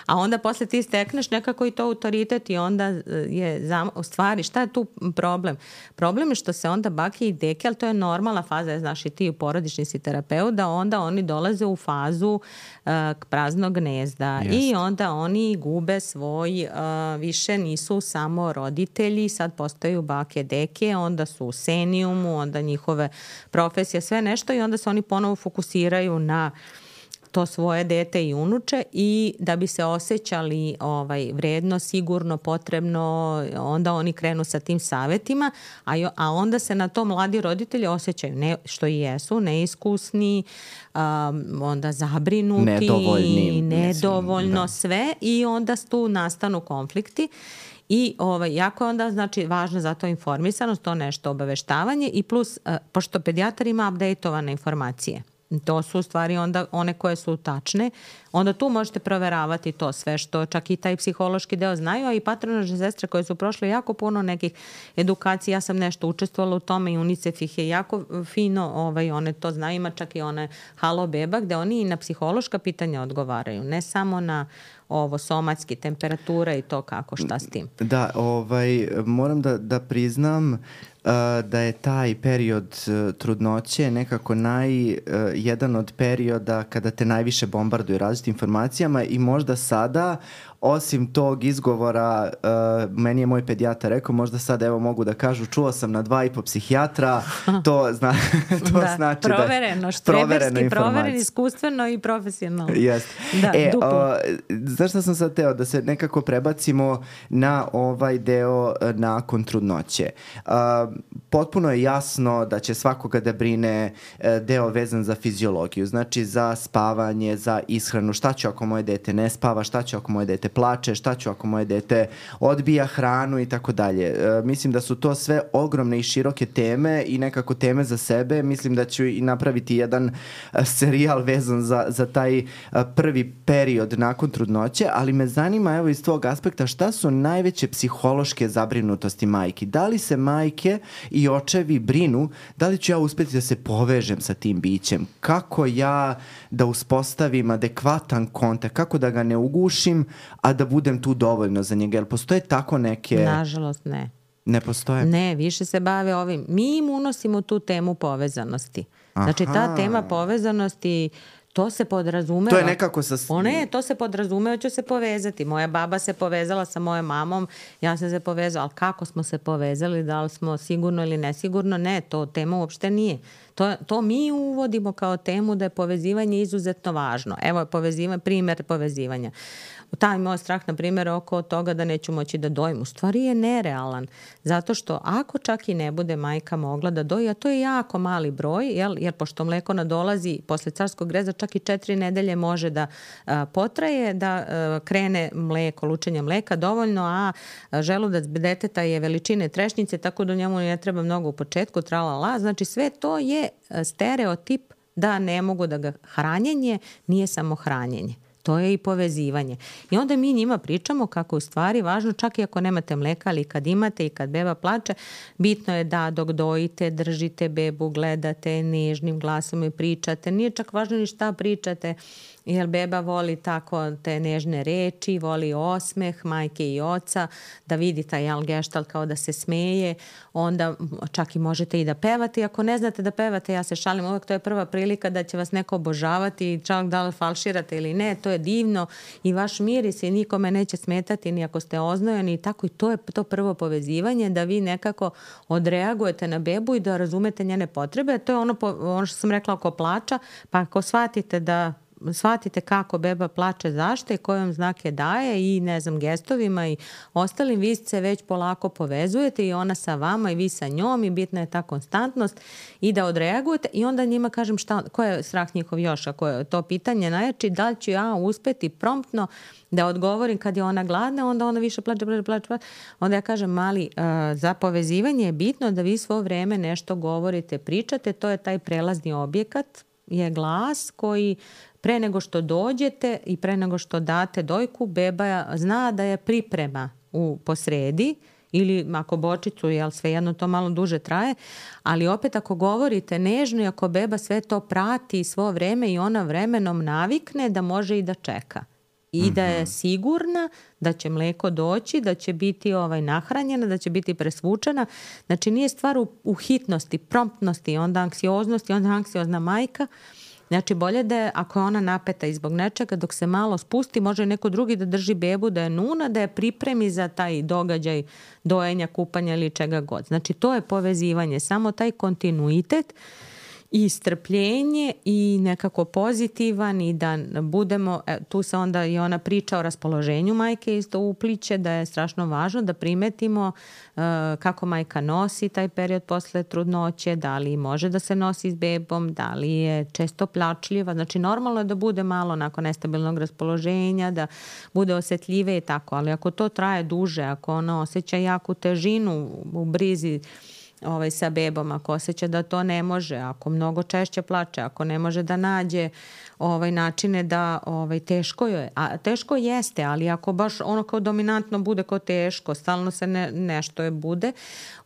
Speaker 2: a onda posle ti stekneš nekako i to autoritet i onda je, u stvari, šta je tu problem? Problem je što se onda bake i deke, ali to je normalna faza, znaš i ti porodični si terapeut, da onda oni dolaze u fazu uh, praznog gnezda Jest. I onda oni gube svoj, uh, više nisu samo roditelji, sad postaju bake deke, onda su u senijumu, onda njihove profesije, sve nešto i onda se oni ponovo fokusiraju na to svoje dete i unuče i da bi se osjećali ovaj, vredno, sigurno, potrebno, onda oni krenu sa tim savetima, a, jo, a onda se na to mladi roditelji osjećaju, ne, što i jesu, neiskusni, um, onda zabrinuti,
Speaker 1: nedovoljni,
Speaker 2: nedovoljno
Speaker 1: mislim,
Speaker 2: sve i onda tu nastanu konflikti. I ovaj, jako je onda znači, važno za to informisanost, to nešto obaveštavanje i plus, uh, pošto pedijatar ima updateovane informacije. To su u stvari onda one koje su tačne. Onda tu možete proveravati to sve što čak i taj psihološki deo znaju, a i patronažne sestre koje su prošle jako puno nekih edukacija. Ja sam nešto učestvovala u tome i UNICEF ih je jako fino, ovaj, one to znaju, ima čak i one Halo beba gde oni i na psihološka pitanja odgovaraju, ne samo na ovo somatski, temperatura i to kako, šta s tim.
Speaker 1: Da, ovaj, moram da, da priznam uh, da je taj period uh, trudnoće nekako naj, uh, jedan od perioda kada te najviše bombarduju različitim informacijama i možda sada, osim tog izgovora, uh, meni je moj pedijatar rekao, možda sad evo mogu da kažu, čuo sam na dva i po psihijatra, to, zna, to
Speaker 2: da,
Speaker 1: znači
Speaker 2: provereno,
Speaker 1: da
Speaker 2: štreberski, proveren, iskustveno i profesionalno.
Speaker 1: Jeste.
Speaker 2: Da,
Speaker 1: e,
Speaker 2: duplo.
Speaker 1: Znaš šta sam sad teo? Da se nekako prebacimo na ovaj deo nakon trudnoće. Uh, potpuno je jasno da će svakoga da brine deo vezan za fiziologiju, znači za spavanje, za ishranu, šta ću ako moje dete ne spava, šta ću ako moje dete plače, šta ću ako moje dete odbija hranu i tako dalje. Mislim da su to sve ogromne i široke teme i nekako teme za sebe. Mislim da ću i napraviti jedan serijal vezan za, za taj prvi period nakon trudnoće, ali me zanima evo iz tvog aspekta šta su najveće psihološke zabrinutosti majki. Da li se majke i očevi brinu, da li ću ja uspeti da se povežem sa tim bićem? Kako ja da uspostavim adekvatan kontakt? Kako da ga ne ugušim, a da budem tu dovoljno za njega? Jel postoje tako neke...
Speaker 2: Nažalost ne.
Speaker 1: Ne postoje?
Speaker 2: Ne, više se bave ovim. Mi im unosimo tu temu povezanosti. Znači
Speaker 1: Aha.
Speaker 2: ta tema povezanosti, to se podrazumeva.
Speaker 1: To je nekako sa...
Speaker 2: One, to se podrazumeva, ću se povezati. Moja baba se povezala sa mojom mamom, ja sam se povezala, ali kako smo se povezali, da li smo sigurno ili nesigurno? Ne, to tema uopšte nije. To, to mi uvodimo kao temu da je povezivanje izuzetno važno. Evo je povezivanje, primjer povezivanja. Taj moj strah, na primjer, oko toga da neću moći da dojim, u stvari je nerealan. Zato što ako čak i ne bude majka mogla da doji, a to je jako mali broj, jel, jer pošto mleko nadolazi posle carskog reza čak čak i četiri nedelje može da a, potraje, da a, krene mleko, lučenje mleka dovoljno, a želudac deteta je veličine trešnjice, tako da njemu ne treba mnogo u početku, tralala. Znači sve to je stereotip da ne mogu da ga hranjenje nije samo hranjenje. To je i povezivanje. I onda mi njima pričamo kako u stvari važno, čak i ako nemate mleka, ali kad imate i kad beba plače, bitno je da dok dojite, držite bebu, gledate nežnim glasom i pričate. Nije čak važno ni šta pričate, jer beba voli tako te nežne reči, voli osmeh majke i oca, da vidi taj jel, geštalt kao da se smeje, onda čak i možete i da pevate. Ako ne znate da pevate, ja se šalim, uvek to je prva prilika da će vas neko obožavati, čak da li falširate ili ne, to je divno i vaš miris i nikome neće smetati ni ako ste oznojeni i tako, i to je to prvo povezivanje, da vi nekako odreagujete na bebu i da razumete njene potrebe. To je ono, ono što sam rekla oko plača, pa ako shvatite da shvatite kako beba plače, zašto i koje vam znake daje i ne znam gestovima i ostalim, vi se već polako povezujete i ona sa vama i vi sa njom i bitna je ta konstantnost i da odreagujete i onda njima kažem šta, ko je strah njihov još, ako je to pitanje najjači, da li ću ja uspeti promptno da odgovorim kad je ona gladna, onda ona više plače, plače, plače, plače. Onda ja kažem, mali, uh, za povezivanje je bitno da vi svo vreme nešto govorite, pričate, to je taj prelazni objekat, je glas koji pre nego što dođete i pre nego što date dojku, beba zna da je priprema u posredi ili ako bočicu, jel svejedno to malo duže traje, ali opet ako govorite nežno i ako beba sve to prati svo vreme i ona vremenom navikne da može i da čeka. I mm-hmm. da je sigurna da će mleko doći, da će biti ovaj nahranjena, da će biti presvučena. Znači nije stvar u, u hitnosti, promptnosti, onda anksioznosti, onda anksiozna majka. Znači bolje da je, ako je ona napeta i zbog nečega, dok se malo spusti, može neko drugi da drži bebu, da je nuna, da je pripremi za taj događaj dojenja, kupanja ili čega god. Znači to je povezivanje, samo taj kontinuitet i strpljenje i nekako pozitivan i da budemo, tu se onda i ona priča o raspoloženju majke isto upliče, da je strašno važno da primetimo uh, kako majka nosi taj period posle trudnoće, da li može da se nosi s bebom, da li je često plačljiva, znači normalno je da bude malo nakon nestabilnog raspoloženja, da bude osetljive i tako, ali ako to traje duže, ako ona osjeća jaku težinu u brizi ovaj, sa bebom, ako osjeća da to ne može, ako mnogo češće plače, ako ne može da nađe ovaj, načine da ovaj, teško je. A teško jeste, ali ako baš ono kao dominantno bude kao teško, stalno se ne, nešto je bude,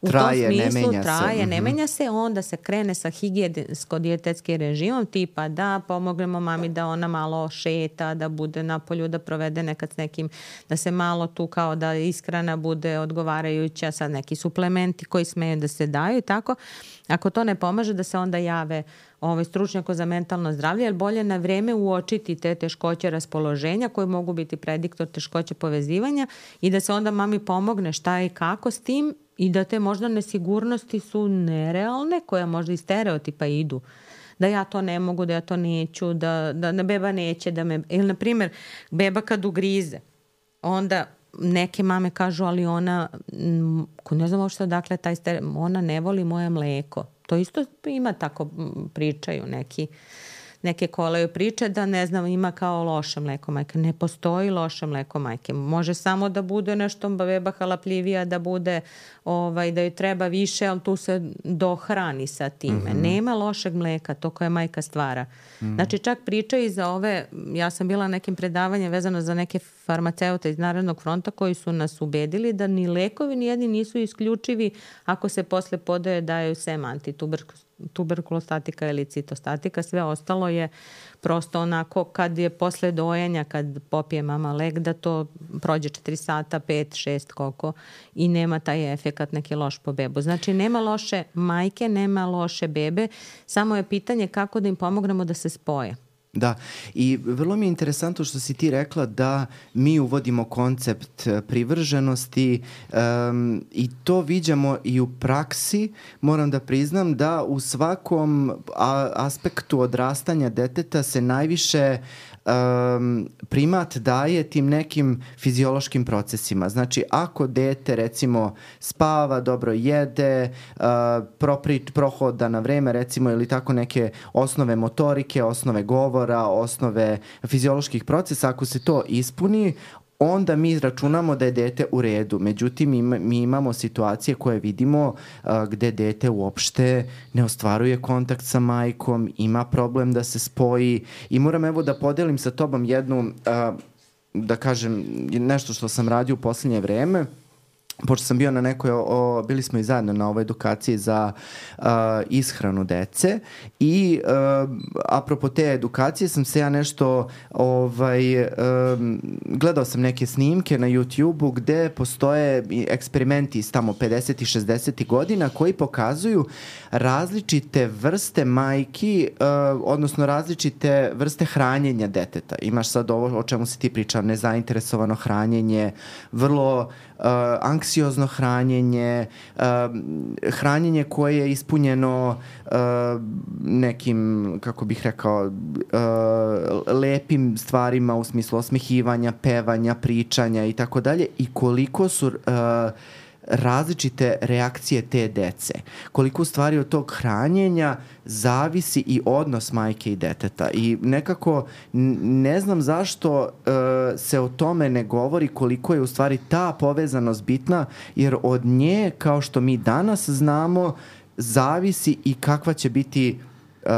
Speaker 2: u
Speaker 1: traje,
Speaker 2: tom smislu
Speaker 1: ne menja
Speaker 2: traje,
Speaker 1: se.
Speaker 2: ne menja se, onda se krene sa higijensko-dijetetskim režimom, tipa da pomognemo mami da ona malo šeta, da bude na polju, da provede nekad s nekim, da se malo tu kao da ishrana bude odgovarajuća, sad neki suplementi koji smeju da se daju i tako. Ako to ne pomaže, da se onda jave ovaj stručnjako za mentalno zdravlje, jer bolje na vreme uočiti te teškoće raspoloženja koje mogu biti prediktor teškoće povezivanja i da se onda mami pomogne šta i kako s tim i da te možda nesigurnosti su nerealne, koje možda iz stereotipa idu. Da ja to ne mogu, da ja to neću, da, da ne, beba neće da me... Ili, na primjer, beba kad ugrize, onda neke mame kažu, ali ona, ne znam uopšte odakle taj stereotip, ona ne voli moje mleko. To isto ima tako, pričaju neki, neke kolaju priče da ne znam, ima kao loše mleko majke. Ne postoji loše mleko majke. Može samo da bude nešto beba halapljivija, da bude, ovaj, da joj treba više, ali tu se dohrani sa time. Mm-hmm. Nema lošeg mleka, to koje majka stvara. Mm-hmm. Znači čak pričaju za ove, ja sam bila na nekim predavanjem vezano za neke farmaceute iz Narodnog fronta koji su nas ubedili da ni lekovi ni jedni nisu isključivi ako se posle podaje daju sem antituberkulostatika ili citostatika. Sve ostalo je prosto onako kad je posle dojenja, kad popije mama lek, da to prođe četiri sata, pet, šest, koliko i nema taj efekat neki loš po bebu. Znači nema loše majke, nema loše bebe, samo je pitanje kako da im pomognemo da se spoje.
Speaker 1: Da, i vrlo mi je interesantno što si ti rekla da mi uvodimo koncept privrženosti um, i to viđamo i u praksi. Moram da priznam da u svakom a, aspektu odrastanja deteta se najviše um, primat daje tim nekim fiziološkim procesima. Znači, ako dete, recimo, spava, dobro jede, uh, propri, prohoda na vreme, recimo, ili tako neke osnove motorike, osnove govora, osnove fizioloških procesa, ako se to ispuni, onda mi računamo da je dete u redu. Međutim, ima, mi imamo situacije koje vidimo a, gde dete uopšte ne ostvaruje kontakt sa majkom, ima problem da se spoji i moram evo da podelim sa tobom jednu, a, da kažem, nešto što sam radio u poslednje vreme. Pošto sam bio na nekoj, o, bili smo i zajedno na ovoj edukaciji za uh, ishranu dece i uh, apropo te edukacije sam se ja nešto ovaj, um, gledao sam neke snimke na YouTube-u gde postoje eksperimenti iz tamo pedesetih i šezdesetih godina koji pokazuju različite vrste majki, uh, odnosno različite vrste hranjenja deteta. Imaš sad ovo o čemu si ti pričao, nezainteresovano hranjenje, vrlo Uh, anksiozno hranjenje, uh, hranjenje koje je ispunjeno uh, nekim, kako bih rekao, uh, lepim stvarima u smislu osmehivanja, pevanja, pričanja i tako dalje i koliko su uh, različite reakcije te dece. Koliko u stvari od tog hranjenja zavisi i odnos majke i deteta. I nekako ne znam zašto uh, se o tome ne govori koliko je u stvari ta povezanost bitna, jer od nje, kao što mi danas znamo, zavisi i kakva će biti Uh,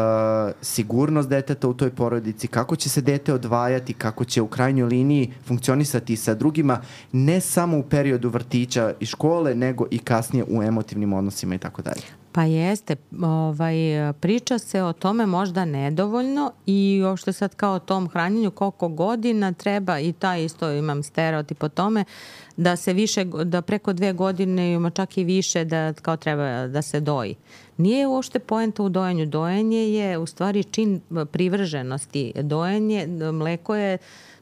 Speaker 1: sigurnost deteta u toj porodici, kako će se dete odvajati, kako će u krajnjoj liniji funkcionisati sa drugima, ne samo u periodu vrtića i škole, nego i kasnije u emotivnim odnosima i tako dalje.
Speaker 2: Pa jeste, ovaj, priča se o tome možda nedovoljno i uopšte sad kao o tom hranjenju koliko godina treba, i taj isto imam stereotip o tome, da se više, da preko dve godine ima čak i više da kao treba da se doji. Nije uopšte poenta u dojenju. Dojenje je u stvari čin privrženosti. Dojenje, mleko je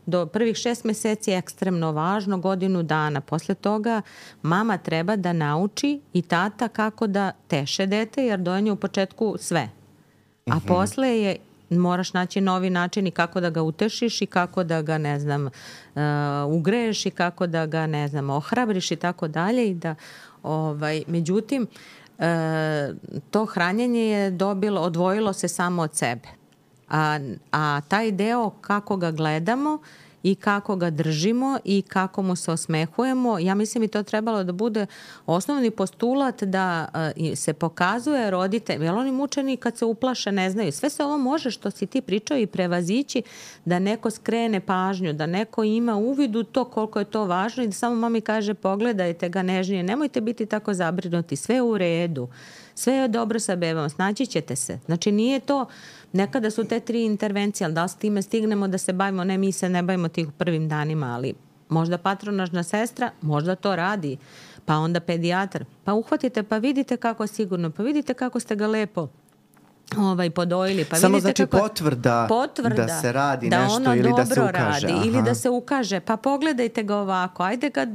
Speaker 2: do prvih šest meseci je ekstremno važno, godinu dana. Posle toga mama treba da nauči i tata kako da teše dete, jer dojenje u početku sve. A mm-hmm. posle je moraš naći novi način i kako da ga utešiš i kako da ga, ne znam, uh, ugreješ i kako da ga, ne znam, ohrabriš i tako dalje. I da, ovaj, međutim, uh, to hranjenje je dobilo, odvojilo se samo od sebe. A, a taj deo kako ga gledamo i kako ga držimo i kako mu se osmehujemo, ja mislim i to trebalo da bude osnovni postulat da uh, se pokazuje roditelj, jer oni mučeni kad se uplaše ne znaju. Sve se ovo može što si ti pričao i prevazići, da neko skrene pažnju, da neko ima uvid u to koliko je to važno i da samo mami kaže pogledajte ga nežnije, nemojte biti tako zabrinuti, sve je u redu, sve je dobro sa bebom, snaći ćete se. Znači nije to, nekada su te tri intervencije, ali da li s time stignemo da se bavimo, ne, mi se ne bavimo tih prvim danima, ali možda patronažna sestra, možda to radi, pa onda pedijatar, pa uhvatite, pa vidite kako je sigurno, pa vidite kako ste ga lepo ovaj, podojili. Pa
Speaker 1: samo
Speaker 2: vidite
Speaker 1: znači
Speaker 2: kako,
Speaker 1: potvrda, potvrda da se radi
Speaker 2: da
Speaker 1: nešto ili da se ukaže.
Speaker 2: Radi, ili da se ukaže, pa pogledajte ga ovako, ajde ga,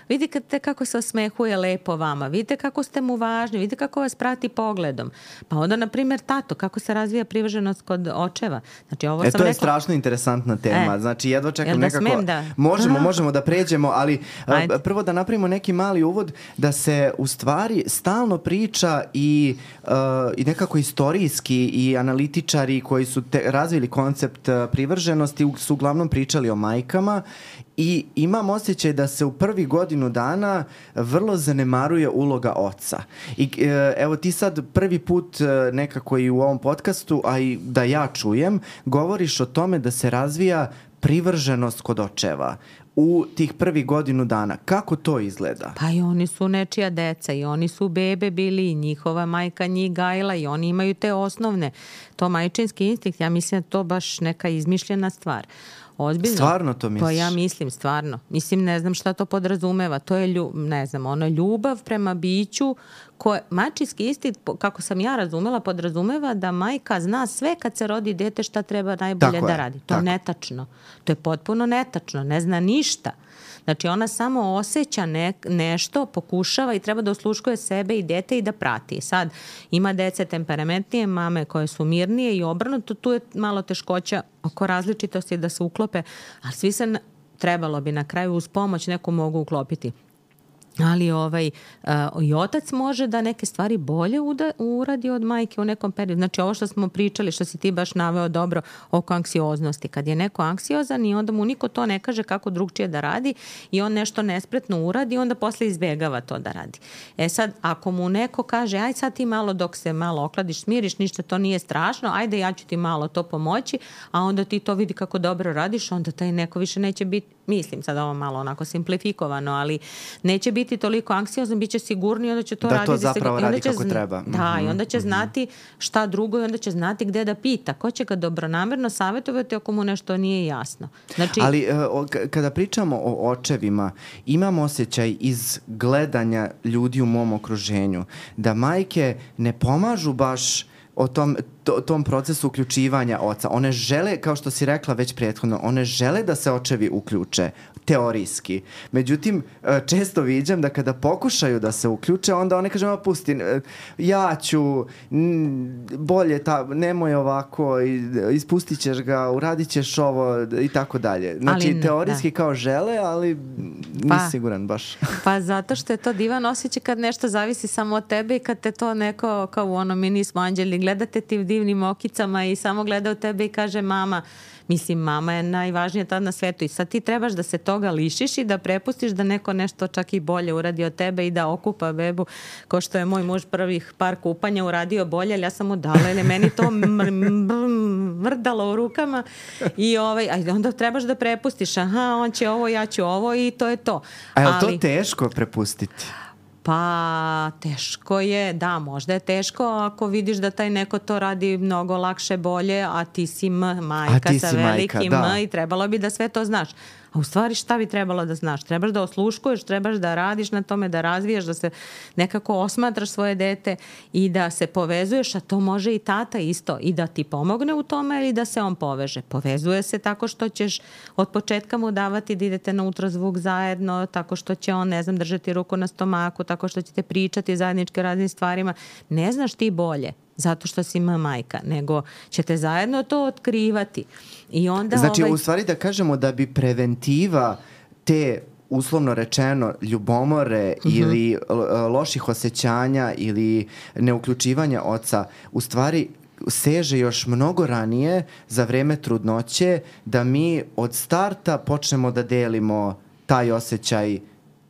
Speaker 2: vidite kako se osmehuje lepo vama, vidite kako ste mu važni, vidite kako vas prati pogledom. Pa onda, na primjer, tato, kako se razvija privrženost kod očeva. Znači, ovo
Speaker 1: e,
Speaker 2: sam
Speaker 1: to je
Speaker 2: rekla...
Speaker 1: strašno interesantna tema. E, znači, jedva čekam
Speaker 2: da
Speaker 1: nekako...
Speaker 2: Da...
Speaker 1: Možemo, možemo da pređemo, ali ajde. Prvo da napravimo neki mali uvod da se u stvari stalno priča i, uh, i nekako istorijski i analitičari koji su te, razvili koncept uh, privrženosti su uglavnom pričali o majkama i imam osjećaj da se u prvi godinu dana vrlo zanemaruje uloga oca. I e, evo ti sad prvi put e, nekako i u ovom podcastu, a i da ja čujem, govoriš o tome da se razvija privrženost kod očeva u tih prvi godinu dana. Kako to izgleda?
Speaker 2: Pa i oni su nečija deca i oni su bebe bili i njihova majka njih gajila i oni imaju te osnovne. To majčinski instinkt, ja mislim da to baš neka izmišljena stvar. Ozbiljno.
Speaker 1: Stvarno to misliš?
Speaker 2: Pa ja mislim, stvarno. Mislim, ne znam šta to podrazumeva. To je, lju, ne znam, ono, ljubav prema biću Ko, mačinski instinkt, kako sam ja razumela, podrazumeva da majka zna sve kad se rodi dete šta treba najbolje
Speaker 1: tako
Speaker 2: da
Speaker 1: je,
Speaker 2: radi. To
Speaker 1: tako.
Speaker 2: je netačno. To je potpuno netačno. Ne zna ništa. Znači ona samo osjeća ne, nešto, pokušava i treba da osluškuje sebe i dete i da prati. Sad ima dece temperamentnije, mame koje su mirnije i obrnuto, tu je malo teškoća oko različitosti da se uklope, ali svi se trebalo bi na kraju uz pomoć neku mogu uklopiti. Ali ovaj, uh, i otac može da neke stvari bolje uda, uradi od majke u nekom periodu. Znači ovo što smo pričali, što si ti baš naveo dobro oko anksioznosti. Kad je neko anksiozan i onda mu niko to ne kaže kako drugčije da radi i on nešto nespretno uradi, onda posle izbjegava to da radi. E sad, ako mu neko kaže, aj sad ti malo dok se malo okladiš, smiriš, ništa to nije strašno, ajde ja ću ti malo to pomoći, a onda ti to vidi kako dobro radiš, onda taj neko više neće biti, mislim sad ovo malo onako simplifikovano, ali neće biti toliko anksiozan, bit će sigurniji, onda će to
Speaker 1: da
Speaker 2: raditi.
Speaker 1: Da to zapravo radi kako
Speaker 2: zna...
Speaker 1: treba.
Speaker 2: Da,
Speaker 1: mm-hmm.
Speaker 2: i onda će znati šta drugo i onda će znati gde da pita. Ko će ga dobronamerno savjetovati ako mu nešto nije jasno. Znači...
Speaker 1: Ali uh, kada pričamo o očevima, imam osjećaj iz gledanja ljudi u mom okruženju da majke ne pomažu baš o tom, to, tom procesu uključivanja oca. One žele, kao što si rekla već prethodno, one žele da se očevi uključe, teorijski. Međutim, često viđam da kada pokušaju da se uključe, onda one kažu, pusti, ja ću, bolje, ta, nemoj ovako, ispustit ćeš ga, uradit ćeš ovo i tako dalje. Znači,
Speaker 2: ne,
Speaker 1: teorijski
Speaker 2: da.
Speaker 1: kao žele, ali nisi
Speaker 2: pa,
Speaker 1: siguran baš.
Speaker 2: Pa zato što je to divan osjećaj kad nešto zavisi samo od tebe i kad te to neko, kao u ono, mi nismo anđeli, gledate ti divnim okicama i samo gleda u tebe i kaže mama, mislim, mama je najvažnija tad na svetu i sad ti trebaš da se toga lišiš i da prepustiš da neko nešto čak i bolje uradi od tebe i da okupa bebu, ko što je moj muž prvih par kupanja uradio bolje, ali ja sam mu dala, jer je meni to mrdalo u rukama i ovaj, a onda trebaš da prepustiš, aha, on će ovo, ja ću ovo i to je to.
Speaker 1: A je li
Speaker 2: ali...
Speaker 1: to teško prepustiti?
Speaker 2: Pa teško je, da, možda je teško ako vidiš da taj neko to radi mnogo lakše, bolje, a ti si m, majka
Speaker 1: ti
Speaker 2: sa
Speaker 1: si
Speaker 2: velikim
Speaker 1: majka, da.
Speaker 2: M i trebalo bi da sve to znaš. A u stvari šta bi trebalo da znaš? Trebaš da osluškuješ, trebaš da radiš na tome, da razvijaš, da se nekako osmatraš svoje dete i da se povezuješ, a to može i tata isto, i da ti pomogne u tome ili da se on poveže. Povezuje se tako što ćeš od početka mu davati da idete na ultrazvuk zajedno, tako što će on, ne znam, držati ruku na stomaku, tako što ćete pričati zajednički o raznim stvarima. Ne znaš ti bolje zato što si majka, nego ćete zajedno to otkrivati. I onda
Speaker 1: znači,
Speaker 2: ovaj...
Speaker 1: u stvari da kažemo da bi preventiva te, uslovno rečeno, ljubomore uh-huh. ili loših osjećanja ili neuključivanja oca, u stvari seže još mnogo ranije za vreme trudnoće, da mi od starta počnemo da delimo taj osjećaj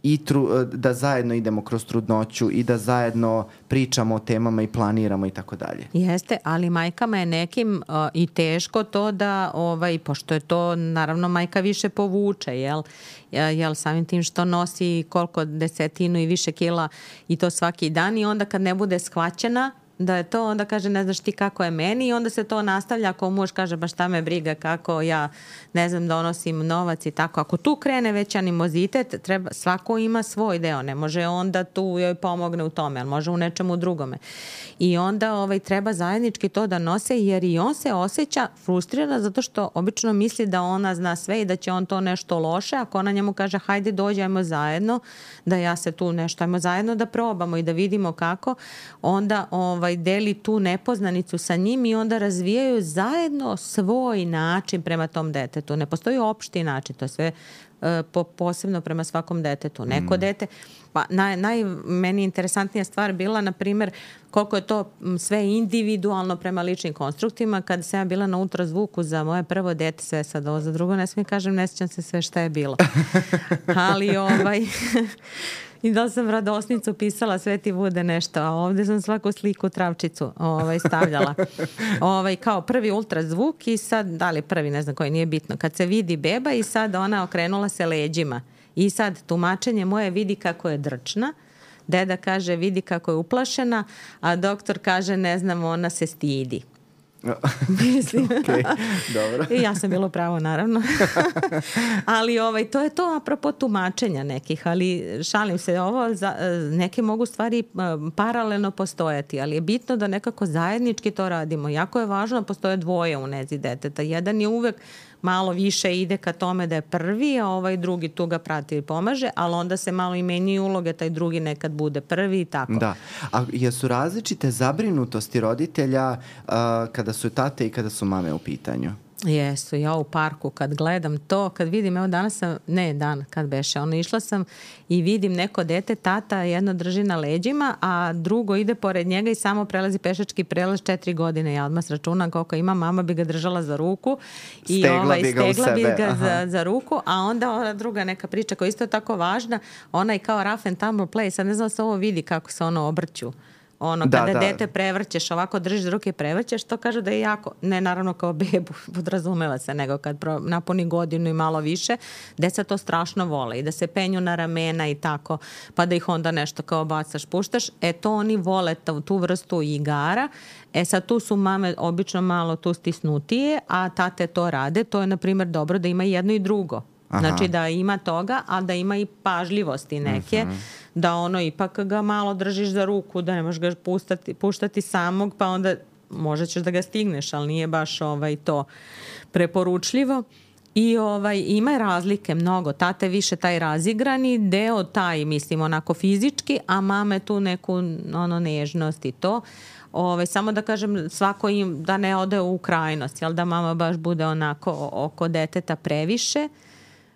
Speaker 1: i tru, da zajedno idemo kroz trudnoću i da zajedno pričamo o temama i planiramo i tako dalje.
Speaker 2: Jeste, ali majkama je nekim uh, i teško to da, ovaj, pošto je to, naravno, majka više povuče, jel? Jel, samim tim što nosi koliko desetinu i više kila i to svaki dan i onda kad ne bude shvaćena da je to, onda kaže ne znaš ti kako je meni i onda se to nastavlja ako muž kaže baš šta me briga kako ja ne znam donosim novac i tako. Ako tu krene već animozitet, treba, svako ima svoj deo, ne može onda tu joj pomogne u tome, ali može u nečemu drugome. I onda ovaj, treba zajednički to da nose jer i on se osjeća frustrirana zato što obično misli da ona zna sve i da će on to nešto loše, ako ona njemu kaže hajde dođi, ajmo zajedno, da ja se tu nešto, ajmo zajedno da probamo i da vidimo kako, onda ovaj, deli tu nepoznanicu sa njim i onda razvijaju zajedno svoj način prema tom detetu. Ne postoji opšti način, to je sve uh, po, posebno prema svakom detetu. Neko mm. dete, pa naj, naj, meni interesantnija stvar bila, na primjer, koliko je to sve individualno prema ličnim konstruktima. Kad sam ja bila na ultrazvuku za moje prvo dete, sve sad ovo za drugo, ne smijem kažem, ne sjećam se sve šta je bilo. Ali ovaj... I da sam radosnicu pisala, sve ti bude nešto, a ovdje sam svaku sliku travčicu ovaj, stavljala. Ovaj, kao prvi ultrazvuk i sad, da li prvi, ne znam koji, nije bitno. Kad se vidi beba i sad ona okrenula se leđima. I sad tumačenje moje vidi kako je drčna, deda kaže vidi kako je uplašena, a doktor kaže ne znam, ona se stidi. Mislim.
Speaker 1: Okay, dobro.
Speaker 2: I ja sam bilo pravo, naravno. Ali ovaj, to je to apropo tumačenja nekih, ali šalim se, ovo za, neke mogu stvari paralelno postojati, ali je bitno da nekako zajednički to radimo. Jako je važno da postoje dvoje u nezi deteta. Jedan je uvek malo više ide ka tome da je prvi, a ovaj drugi tu ga prati i pomaže, ali onda se malo i menjaju uloge, taj drugi nekad bude prvi i tako.
Speaker 1: Da. A jesu različite zabrinutosti roditelja uh, kada su tate i kada su mame u pitanju?
Speaker 2: Jesu, ja u parku kad gledam to, kad vidim, evo danas sam, ne dan, kad beše, ono išla sam i vidim neko dete, tata jedno drži na leđima, a drugo ide pored njega i samo prelazi pešački prelaz četiri godine. Ja odmah računam koliko ima, mama bi ga držala za ruku i
Speaker 1: stegla
Speaker 2: ovaj,
Speaker 1: bi ga,
Speaker 2: stegla bi ga za,
Speaker 1: Aha.
Speaker 2: za ruku, a onda ona druga neka priča koja isto je tako važna, ona je kao rough and tumble play, sad ne znam se ovo vidi kako se ono obrću. Ono,
Speaker 1: da,
Speaker 2: kada
Speaker 1: da.
Speaker 2: dete prevrćeš, ovako držiš za ruke i prevrćeš, to kažu da je jako, ne naravno kao bebu, podrazumeva se, nego kad pro, napuni godinu i malo više, deca to strašno vole i da se penju na ramena i tako, pa da ih onda nešto kao bacaš, puštaš. E to oni vole tu, tu vrstu igara. E sad tu su mame obično malo tu stisnutije, a tate to rade. To je, na primjer, dobro da ima jedno i drugo. Aha. Znači da ima toga, a da ima i pažljivosti neke, mm-hmm. da ono ipak ga malo držiš za ruku, da ne možeš ga puštati, puštati samog, pa onda možda ćeš da ga stigneš, ali nije baš ovaj to preporučljivo. I ovaj, ima razlike mnogo. Tate više taj razigrani deo, taj mislim onako fizički, a mame tu neku ono nežnost i to. Ove, samo da kažem, svako im da ne ode u krajnost, jel, da mama baš bude onako oko deteta previše,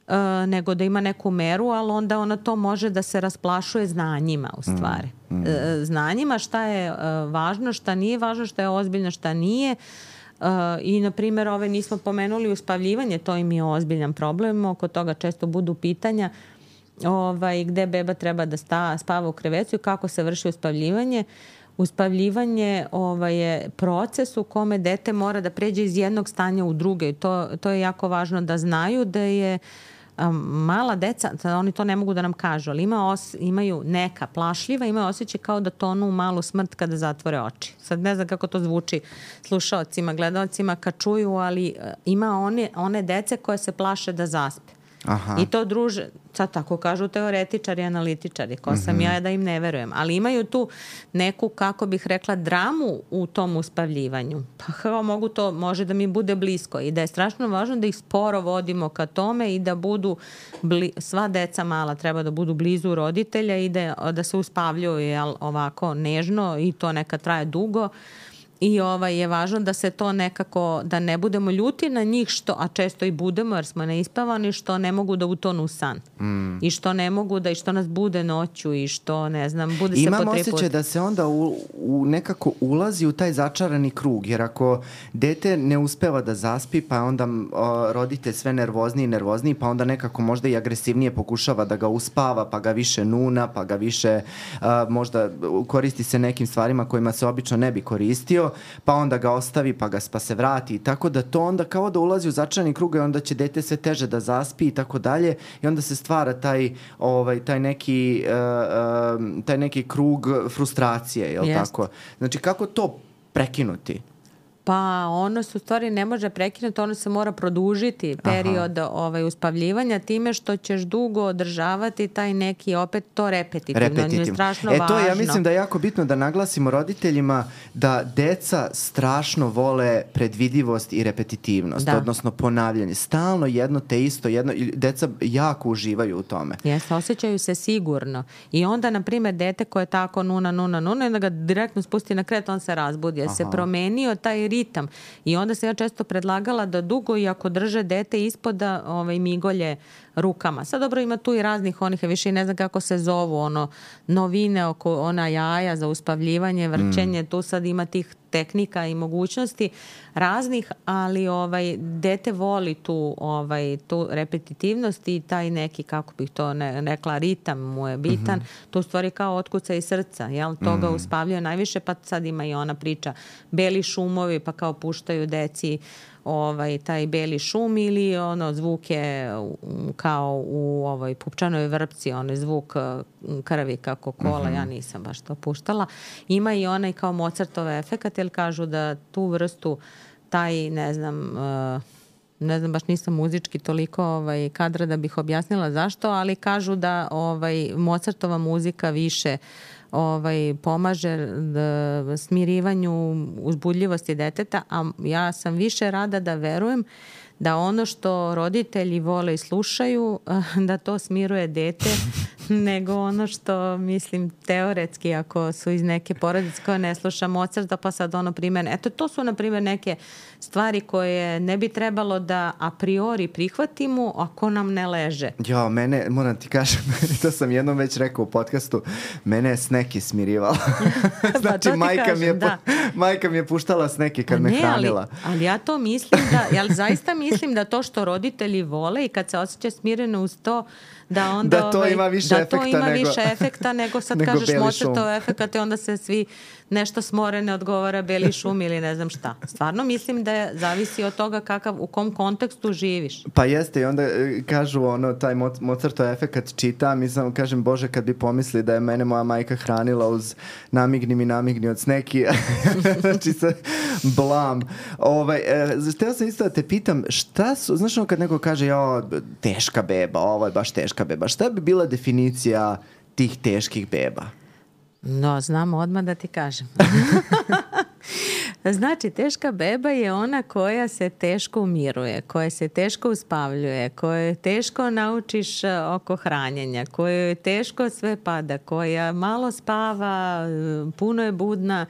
Speaker 2: Uh, nego da ima neku meru, ali onda ona to može da se rasplašuje znanjima u stvari. Mm, mm. Uh, znanjima šta je uh, važno, šta nije važno, šta je ozbiljno, šta nije. Uh, I, na primjer, ove nismo pomenuli uspavljivanje, to im je ozbiljan problem, oko toga često budu pitanja ovaj, gde beba treba da sta, spava u krevetu i kako se vrši uspavljivanje. Uspavljivanje ovaj, je proces u kome dete mora da pređe iz jednog stanja u druge. To, to je jako važno da znaju da je um, mala deca, oni to ne mogu da nam kažu, ali ima os, imaju neka plašljiva, imaju osjećaj kao da tonu u malu smrt kada zatvore oči. Sad ne znam kako to zvuči slušaocima, gledaocima kad čuju, ali uh, ima one, one dece koje se plaše da zaspe. Aha. I to druže, sad tako kažu teoretičari i analitičari, ko sam mm-hmm. ja da im ne verujem, ali imaju tu neku, kako bih rekla, dramu u tom uspavljivanju. Pa kao mogu to, može da mi bude blisko i da je strašno važno da ih sporo vodimo ka tome i da budu, bli, sva deca mala treba da budu blizu roditelja i da, da se uspavljuju jel, ovako nežno i to neka traje dugo. I ovaj je važno da se to nekako, da ne budemo ljuti na njih, što, a često i budemo jer smo neispavani, što ne mogu da utonu u san. Mm. I što ne mogu da, i što nas bude noću i što, ne znam, bude se po tri puta.
Speaker 1: Imam osjećaj da se onda u, u nekako ulazi u taj začarani krug, jer ako dete ne uspeva da zaspi, pa onda o, roditelj sve nervozniji i nervozniji, pa onda nekako možda i agresivnije pokušava da ga uspava, pa ga više nuna, pa ga više a, možda koristi se nekim stvarima kojima se obično ne bi koristio, pa onda ga ostavi, pa ga pa se vrati i tako da to onda kao da ulazi u začarani krug i onda će dete sve teže da zaspi i tako dalje i onda se stvara taj, ovaj, taj, neki, uh, uh, taj neki krug frustracije, je li tako? Znači kako to prekinuti?
Speaker 2: Pa ono se u stvari ne može prekinuti, ono se mora produžiti period ovaj, uspavljivanja time što ćeš dugo održavati taj neki, opet to repetitivno. repetitivno. Je strašno
Speaker 1: e,
Speaker 2: važno.
Speaker 1: To je, ja mislim da je jako bitno da naglasimo roditeljima da deca strašno vole predvidivost i repetitivnost, da. Odnosno ponavljanje. Stalno jedno te isto, jedno, deca jako uživaju u tome.
Speaker 2: Jeste, osjećaju se sigurno. I onda, na primjer, dete koje je tako nuna, nuna, nuna, i da ga direktno spusti na kret, on se razbudi. Jer se promenio taj ritam. I onda se ja često predlagala da dugo i ako drže dete ispoda ovaj, migolje rukama. Sad dobro ima tu i raznih onih, više ne znam kako se zovu, ono, novine oko ona jaja za uspavljivanje, vrčenje, mm. tu sad ima tih tehnika i mogućnosti raznih, ali ovaj dete voli tu ovaj tu repetitivnost i taj neki, kako bih to ne, rekla, ritam mu je bitan. Mm-hmm. To u stvari kao otkuca iz srca, jel? To ga mm. uspavljaju najviše, pa sad ima i ona priča beli šumovi, pa kao puštaju deci ovaj, taj beli šum ili ono zvuke kao u ovoj pupčanoj vrpci, onaj zvuk krvi kako kola, mm-hmm. ja nisam baš to puštala. Ima i onaj kao Mozartov efekat, jer kažu da tu vrstu, taj, ne znam, uh, ne znam, baš nisam muzički toliko ovaj, kadra da bih objasnila zašto, ali kažu da ovaj, Mozartova muzika više ovaj, pomaže da, smirivanju uzbudljivosti deteta, a ja sam više rada da verujem da ono što roditelji vole i slušaju, da to smiruje dete, nego ono što, mislim, teoretski, ako su iz neke porodice koje ne sluša Mozarta, pa sad ono primjer, eto, to su, na primjer, neke stvari koje ne bi trebalo da a priori prihvatimo ako nam ne leže.
Speaker 1: Jo, mene, moram ti kažem, to sam jednom već rekao u podcastu, mene je Sneki smirivala. Znači,
Speaker 2: pa
Speaker 1: majka,
Speaker 2: kažem,
Speaker 1: mi je,
Speaker 2: da.
Speaker 1: majka mi je puštala Sneki kad me
Speaker 2: ne,
Speaker 1: hranila.
Speaker 2: Ali, ali ja to mislim da, ja zaista mislim da to što roditelji vole i kad se osjeća smireno uz to, da onda
Speaker 1: da to
Speaker 2: ovaj,
Speaker 1: ima više
Speaker 2: da
Speaker 1: efekta
Speaker 2: to ima
Speaker 1: nego,
Speaker 2: više efekta nego sad
Speaker 1: nego
Speaker 2: kažeš Mozartov efekat i onda se svi nešto smore, ne odgovara beli šum ili ne znam šta. Stvarno mislim da je, zavisi od toga kakav, u kom kontekstu živiš.
Speaker 1: Pa jeste, i onda kažu ono, taj Mozartov efekat čitam i samo kažem, Bože, kad bi pomisli da je mene moja majka hranila uz namigni mi namigni od Sneki. Znači se blam. Ovaj, htio sam isto da te pitam, šta su, znaš ono kad neko kaže, jo, teška beba, ovo je baš teška beba, šta bi bila definicija tih teških beba?
Speaker 2: No, znam odmah da ti kažem. Znači, teška beba je ona koja se teško umiruje, koja se teško uspavljuje, koje teško naučiš oko hranjenja, koje teško sve pada, koja malo spava, puno je budna,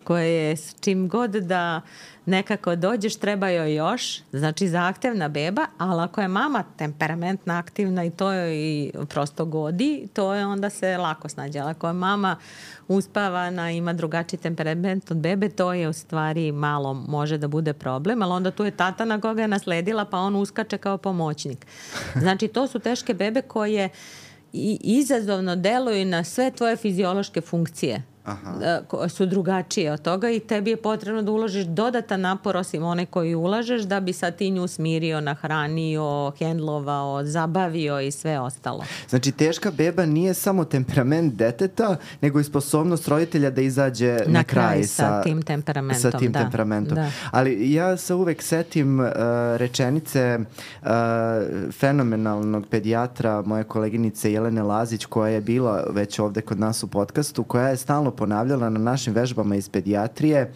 Speaker 2: koja je s čim god da nekako dođeš, treba joj još, znači zahtevna beba, ali ako je mama temperamentna, aktivna i to joj i prosto godi, to je onda se lako snađe. Ali ako je mama uspavana, ima drugačiji temperament od bebe, to je u stvari malo može da bude problem, ali onda tu je tata na koga je nasledila, pa on uskače kao pomoćnik. Znači, to su teške bebe koje i izazovno deluju na sve tvoje fiziološke funkcije. Aha. Su drugačije od toga i tebi je potrebno da uložiš dodatan napor osim one koji ulažeš da bi sad ti nju smirio, nahranio, hendlovao, zabavio i sve ostalo.
Speaker 1: Znači, teška beba nije samo temperament deteta, nego i sposobnost roditelja da izađe na, na kraj, kraj sa,
Speaker 2: sa tim temperamentom.
Speaker 1: Sa tim
Speaker 2: da,
Speaker 1: temperamentom.
Speaker 2: Da.
Speaker 1: Ali ja se uvek setim uh, rečenice uh, fenomenalnog pedijatra, moje koleginice Jelene Lazić, koja je bila već ovde kod nas u podcastu, koja je stalno ponavljala na našim vežbama iz pedijatrije.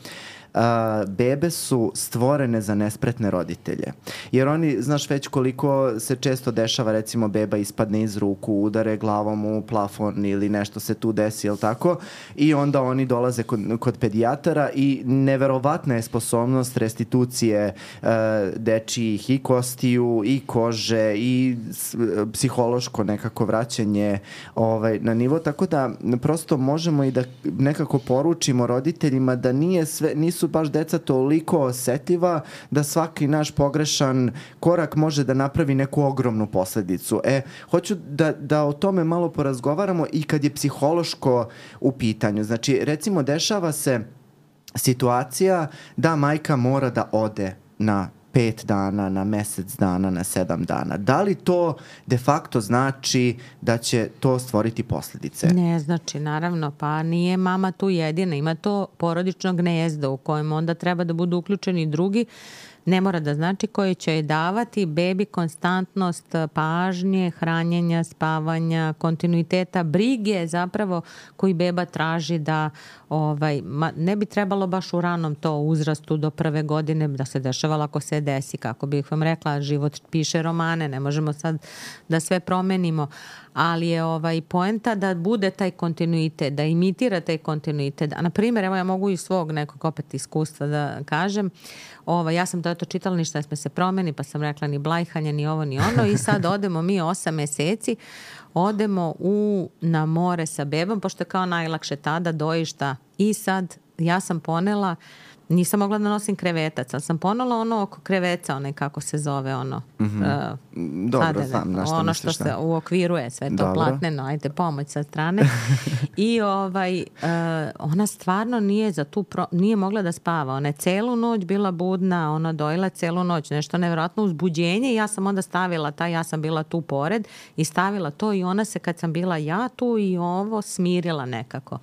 Speaker 1: Uh, bebe su stvorene za nespretne roditelje. Jer oni, znaš već koliko se često dešava, recimo beba ispadne iz ruku, udare glavom u plafon ili nešto se tu desi, jel tako? I onda oni dolaze kod, kod pedijatara i neverovatna je sposobnost restitucije uh, dečijih i kostiju i kože i s, psihološko nekako vraćanje ovaj, na nivo, tako da prosto možemo i da nekako poručimo roditeljima da nije sve, nisu su baš deca toliko osetljiva da svaki naš pogrešan korak može da napravi neku ogromnu posledicu. E, hoću da, da o tome malo porazgovaramo i kad je psihološko u pitanju. Znači, recimo, dešava se situacija da majka mora da ode na pet dana, na mesec dana, na sedam dana. Da li to de facto znači da će to stvoriti posljedice?
Speaker 2: Ne znači, naravno, pa nije mama tu jedina. Ima to porodično gnezdo u kojem onda treba da budu uključeni drugi. Ne mora da znači koji će joj davati bebi konstantnost pažnje, hranjenja, spavanja, kontinuiteta, brige zapravo koji beba traži da ovaj, ma, ne bi trebalo baš u ranom to uzrastu do prve godine da se dešavalo ako se desi. Kako bih vam rekla, život piše romane, ne možemo sad da sve promenimo, ali je ovaj poenta da bude taj kontinuitet, da imitira taj kontinuitet. A na primjer, evo ja mogu iz svog nekog opet iskustva da kažem, ovaj, ja sam to eto čitala, ništa ne sme se promeni, pa sam rekla ni blajhanje, ni ovo, ni ono i sad odemo mi osam meseci, odemo u, na more sa bebom, pošto je kao najlakše tada dojišta i sad ja sam ponela nisam mogla da nosim krevetac, ali sam ponela ono oko kreveca, onaj kako se zove ono.
Speaker 1: Mm-hmm. Uh, Dobro, znam na što
Speaker 2: ono
Speaker 1: misliš.
Speaker 2: što se uokviruje sve to
Speaker 1: Dobro.
Speaker 2: platneno, ajde pomoć sa strane. I ovaj, uh, ona stvarno nije za tu pro... nije mogla da spava. Ona je celu noć bila budna, ona dojela celu noć, nešto nevjerojatno uzbuđenje i ja sam onda stavila taj, ja sam bila tu pored i stavila to i ona se kad sam bila ja tu i ovo smirila nekako.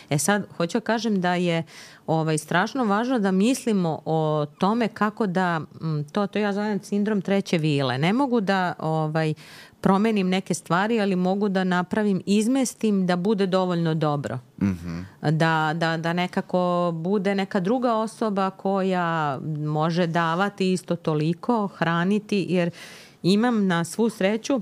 Speaker 2: E sad, hoću da kažem da je ovaj, strašno važno da mislimo o tome kako da, to, to ja zovem sindrom treće vile. Ne mogu da ovaj, promenim neke stvari, ali mogu da napravim, izmestim da bude dovoljno dobro.
Speaker 1: Mm-hmm.
Speaker 2: Da, da, da nekako bude neka druga osoba koja može davati isto toliko, hraniti, jer imam na svu sreću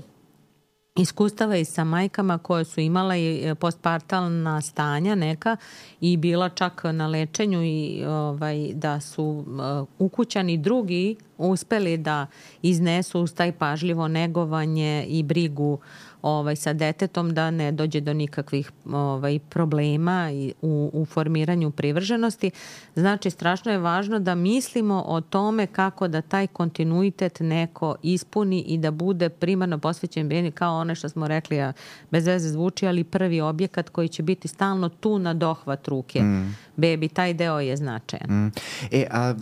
Speaker 2: iskustava i sa majkama koje su imala i postpartalna stanja neka i bila čak na lečenju i ovaj, da su uh, ukućani drugi uspeli da iznesu uz taj pažljivo negovanje i brigu ovaj, sa detetom da ne dođe do nikakvih ovaj, problema i u, u formiranju privrženosti. Znači, strašno je važno da mislimo o tome kako da taj kontinuitet neko ispuni i da bude primarno posvećen bebi, kao ono što smo rekli, a bez veze zvuči, ali prvi objekat koji će biti stalno tu na dohvat ruke. Mm. Bebi, taj deo je značajan.
Speaker 1: Mm. E, a e,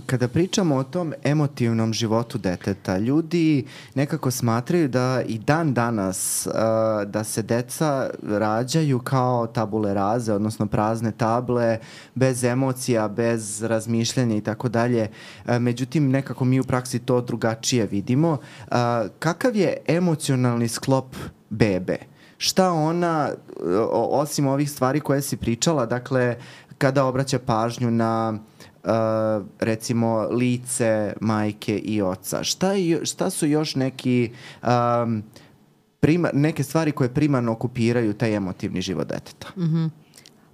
Speaker 1: kada pričamo o tom emotivnom životu deteta, ljudi nekako smatraju da i dan danas a, da se deca rađaju kao tabule raze, odnosno prazne table, bez emocija, bez razmišljanja i tako dalje. Međutim, nekako mi u praksi to drugačije vidimo. A, kakav je emocionalni sklop bebe? Šta ona, osim ovih stvari koje si pričala, dakle, kada obraća pažnju na uh, recimo lice majke i oca, šta, je, šta su još neki um, prima, neke stvari koje primarno okupiraju taj emotivni život deteta?
Speaker 2: Mm-hmm.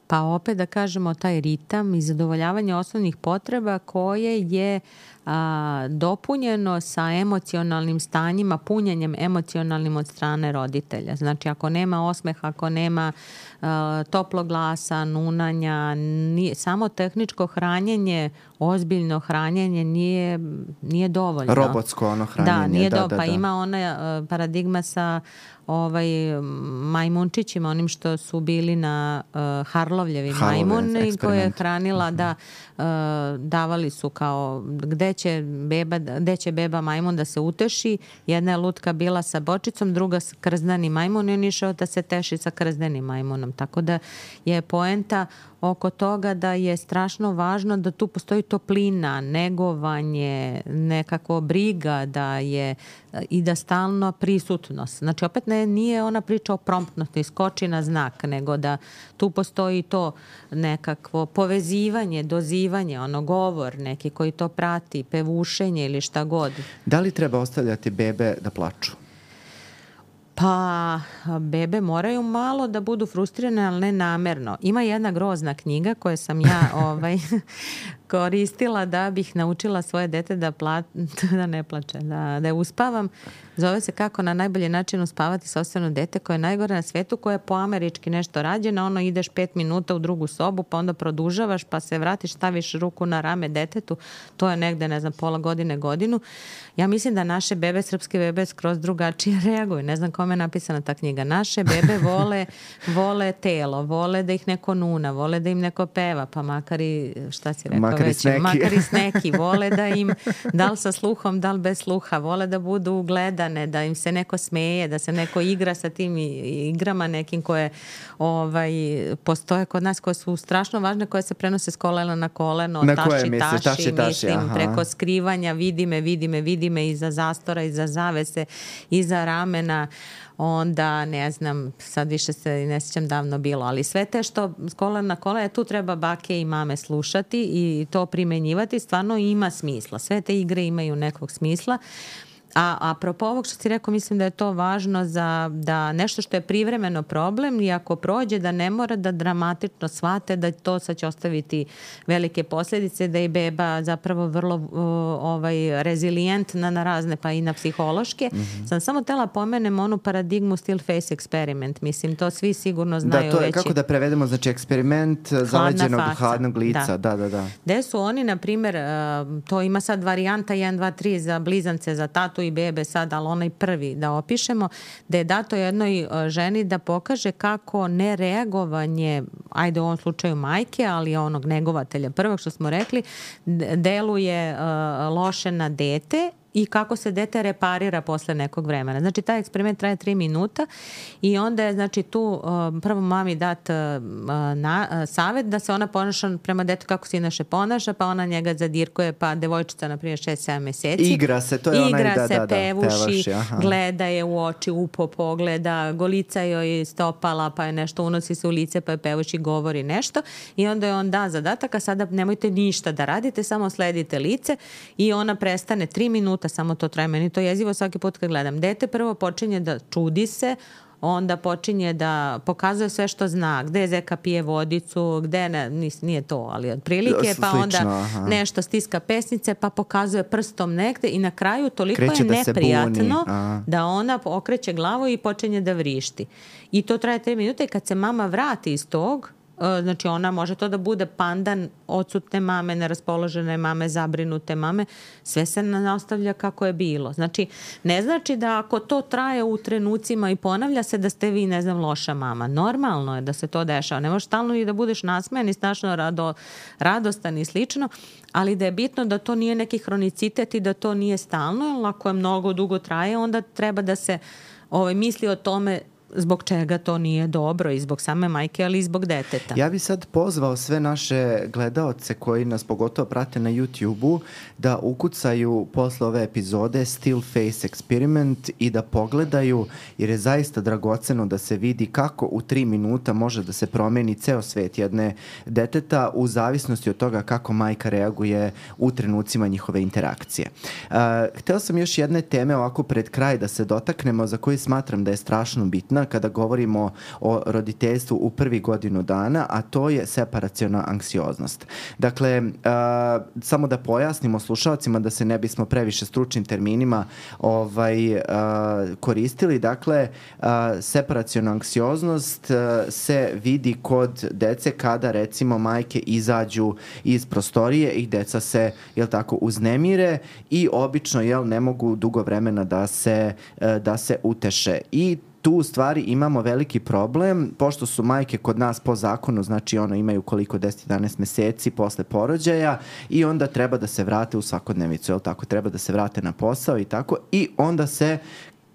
Speaker 2: Pa opet da kažemo taj ritam i zadovoljavanje osnovnih potreba koje je a, dopunjeno sa emocionalnim stanjima, punjenjem emocionalnim od strane roditelja. Znači ako nema osmeha, ako nema a, toplog glasa, nunanja, nije, samo tehničko hranjenje, ozbiljno hranjenje nije, nije dovoljno.
Speaker 1: Robotsko ono hranjenje.
Speaker 2: Da, nije
Speaker 1: da,
Speaker 2: dovoljno.
Speaker 1: Da,
Speaker 2: pa
Speaker 1: da.
Speaker 2: ima ona paradigma sa ovaj majmunčićima, onim što su bili na uh, Harlovljevi majmuni koje je hranila, da uh, davali su kao gde će beba, gde će beba majmun da se uteši. Jedna je lutka bila sa bočicom, druga sa krzdani majmun i on išao da se teši sa krzdanim majmunom. Tako da je poenta oko toga da je strašno važno da tu postoji toplina, negovanje, nekako briga da je i da stalno prisutnost. Znači opet ne, nije ona priča o promptnosti, skoči na znak, nego da tu postoji to nekakvo povezivanje, dozivanje, ono govor neki koji to prati, pevušenje ili šta god.
Speaker 1: Da li treba ostavljati bebe da plaču?
Speaker 2: Pa bebe moraju malo da budu frustrirane, ali ne namerno. Ima jedna grozna knjiga koju sam ja ovaj, koristila da bih naučila svoje dete da, pla, da ne plače, da, da je uspavam. Zove se Kako na najbolji način uspavati sopstveno dete koje je najgore na svetu, koje je po američki nešto rađeno. Ono ideš pet minuta u drugu sobu, pa onda produžavaš, pa se vratiš, staviš ruku na rame detetu. To je negde, ne znam, pola godine, godinu. Ja mislim da naše bebe, srpske bebe, skroz drugačije reaguju. Ne znam kome je napisana ta knjiga. Naše bebe vole, vole telo, vole da ih neko nuna, vole da im neko peva, pa makar i, šta si rekao
Speaker 1: makar
Speaker 2: već,
Speaker 1: i
Speaker 2: makar i sneki. Vole da im, da li sa sluhom, da li bez sluha, vole da budu gledane, da im se neko smeje, da se neko igra sa tim igrama nekim koje ovaj, postoje kod nas, koje su strašno važne, koje se prenose s kolena na koleno,
Speaker 1: na
Speaker 2: taši,
Speaker 1: koje misliš,
Speaker 2: taši,
Speaker 1: taši, taši,
Speaker 2: mislim,
Speaker 1: aha.
Speaker 2: preko skrivanja, vidi me, vidi me, vidi me iza zastora, iza zavese, iza ramena, onda ne znam, sad više se ne sjećam davno bilo, ali sve te što s kolena na kolena, tu treba bake i mame slušati i to primenjivati, stvarno ima smisla. Sve te igre imaju nekog smisla, A apropo ovog što si rekao, mislim da je to važno za da nešto što je privremeno problem i ako prođe da ne mora da dramatično shvate da to sad će ostaviti velike posljedice, da je beba zapravo vrlo uh, ovaj, rezilijentna na razne pa i na psihološke. Mm-hmm. Sam samo tela pomenem onu paradigmu still face experiment. Mislim, to svi sigurno znaju.
Speaker 1: Da, to je
Speaker 2: već
Speaker 1: kako da prevedemo, znači eksperiment zaleđenog hladnog lica. Da, da, da.
Speaker 2: Gde su oni, na primjer, uh, to ima sad varijanta jedan, dva, tri za blizance, za tatu i bebe sad, ali onaj prvi da opišemo, da je dato jednoj ženi da pokaže kako nereagovanje, ajde u ovom slučaju majke, ali onog negovatelja prvog što smo rekli, deluje uh, loše na dete i kako se dete reparira posle nekog vremena. Znači, taj eksperiment traje tri minuta i onda je, znači, tu uh, prvo mami dat uh, na, uh, savjet da se ona ponaša prema detetu kako se inače ponaša, pa ona njega zadirkuje, pa devojčica, na primjer, šest sedam meseci.
Speaker 1: Igra se, to je
Speaker 2: Igra
Speaker 1: onaj, da,
Speaker 2: se,
Speaker 1: da, da,
Speaker 2: pevuši,
Speaker 1: pevaši,
Speaker 2: gleda je u oči, upo pogleda, golica joj stopala, pa je nešto, unosi se u lice, pa je pevuši, govori nešto i onda je on da zadatak, a sada nemojte ništa da radite, samo sledite lice i ona prestane tri minuta, samo to traje. Meni to jezivo svaki put kad gledam. Dete prvo počinje da čudi se, onda počinje da pokazuje sve što zna, gde zeka pije vodicu, gde ne, nije to, ali otprilike, pa onda aha. nešto stiska pesnice, pa pokazuje prstom negde i na kraju toliko Kreće je neprijatno da, da ona okreće glavu i počinje da vrišti. I to traje tri minute i kad se mama vrati iz tog, znači ona može to da bude pandan odsutne mame, neraspoložene mame, zabrinute mame, sve se nastavlja kako je bilo. Znači, ne znači da ako to traje u trenucima i ponavlja se da ste vi, ne znam, loša mama. Normalno je da se to dešava. Ne možeš stalno i da budeš nasmejan i strašno rado, radostan i slično, ali da je bitno da to nije neki hronicitet i da to nije stalno, jer ako je mnogo dugo traje, onda treba da se ovaj, misli o tome zbog čega to nije dobro i zbog same majke, ali i zbog deteta.
Speaker 1: Ja bi sad pozvao sve naše gledaoce koji nas pogotovo prate na YouTube-u da ukucaju posle ove epizode Still Face Experiment i da pogledaju, jer je zaista dragoceno da se vidi kako u tri minuta može da se promeni ceo svet jedne deteta u zavisnosti od toga kako majka reaguje u trenucima njihove interakcije. Uh, hteo sam još jedne teme ovako pred kraj da se dotaknemo, za koju smatram da je strašno bitna kada govorimo o roditeljstvu u prvi godinu dana, a to je separaciona anksioznost. Dakle, uh, samo da pojasnimo slušalcima da se ne bismo previše stručnim terminima ovaj, uh, koristili. Dakle, uh, separaciona anksioznost uh, se vidi kod dece kada recimo majke izađu iz prostorije i deca se, jel tako, uznemire i obično, jel, ne mogu dugo vremena da se, uh, da se uteše. I tu u stvari imamo veliki problem, pošto su majke kod nas po zakonu, znači ono imaju koliko deset do jedanaest meseci posle porođaja i onda treba da se vrate u svakodnevicu, jel tako, treba da se vrate na posao i tako, i onda se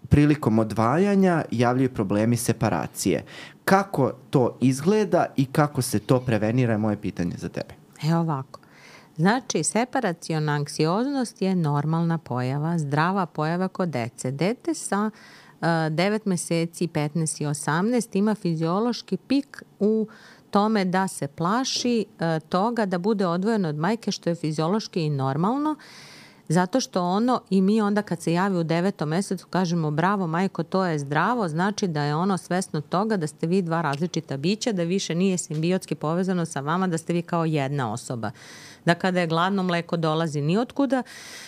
Speaker 1: prilikom odvajanja javljaju problemi separacije. Kako to izgleda i kako se to prevenira je moje pitanje za tebe.
Speaker 2: Evo ovako. Znači, separaciona anksioznost je normalna pojava, zdrava pojava kod dece. Dete sa devet meseci, petnaest i osamnaest ima fiziološki pik u tome da se plaši toga da bude odvojeno od majke, što je fiziološki i normalno, zato što ono, i mi onda kad se javi u devetom mesecu kažemo bravo majko, to je zdravo, znači da je ono svesno toga da ste vi dva različita bića, da više nije simbiotski povezano sa vama, da ste vi kao jedna osoba. Da kada je gladno mleko dolazi ni otkuda,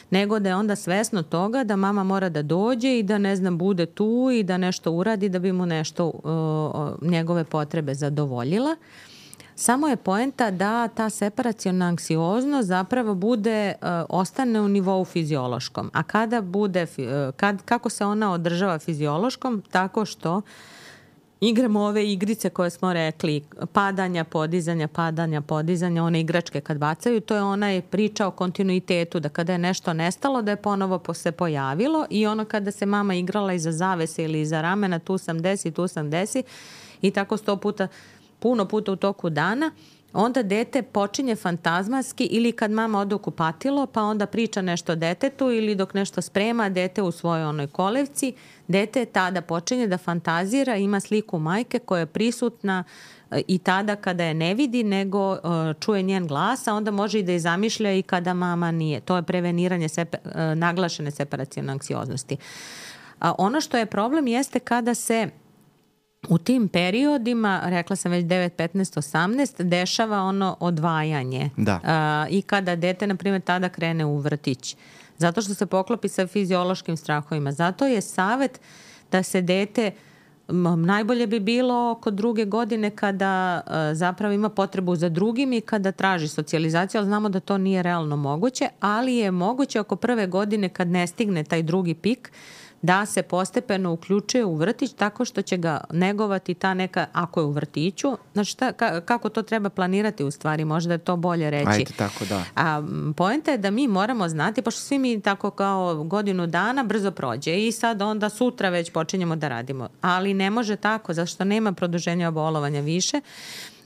Speaker 2: nego da je onda svesno toga da mama mora da dođe i da, ne znam, bude tu i da nešto uradi da bi mu nešto uh, njegove potrebe zadovoljila. Samo je poenta da ta separaciona anksioznost zapravo bude, uh, ostane u nivou fiziološkom. A kada bude, uh, kad, kako se ona održava fiziološkom? Tako što igramo ove igrice koje smo rekli, padanja, podizanja, padanja, podizanja, one igračke kad bacaju, to je ona priča o kontinuitetu, da kada je nešto nestalo, da je ponovo se pojavilo i ono kada se mama igrala iza zavese ili iza ramena, tu sam desi, tu sam desi i tako sto puta, puno puta u toku dana, onda dete počinje fantazmatski ili kad mama ode u kupatilo, pa onda priča nešto detetu ili dok nešto sprema dete u svojoj onoj kolevci, dete tada počinje da fantazira, ima sliku majke koja je prisutna i tada kada je ne vidi, nego uh, čuje njen glas, a onda može i da je zamišlja i kada mama nije. To je preveniranje sepa, uh, naglašene separacione anksioznosti. A ono što je problem jeste kada se u tim periodima, rekla sam već devet, petnaest, osamnaest, dešava ono odvajanje.
Speaker 1: Da.
Speaker 2: Uh, I kada dete, na primjer, tada krene u vrtić. Zato što se poklopi sa fiziološkim strahovima. Zato je savet da se dete, najbolje bi bilo oko druge godine kada uh, zapravo ima potrebu za drugim i kada traži socijalizaciju, ali znamo da to nije realno moguće, ali je moguće oko prve godine kad ne stigne taj drugi pik, da se postepeno uključuje u vrtić tako što će ga negovati ta neka, ako je u vrtiću, znači šta, ka, kako to treba planirati u stvari, možda je to bolje reći.
Speaker 1: Ajde, tako da.
Speaker 2: A poenta je da mi moramo znati, pošto svi mi tako kao godinu dana brzo prođe i sad onda sutra već počinjemo da radimo, ali ne može tako, zašto nema produženja bolovanja više,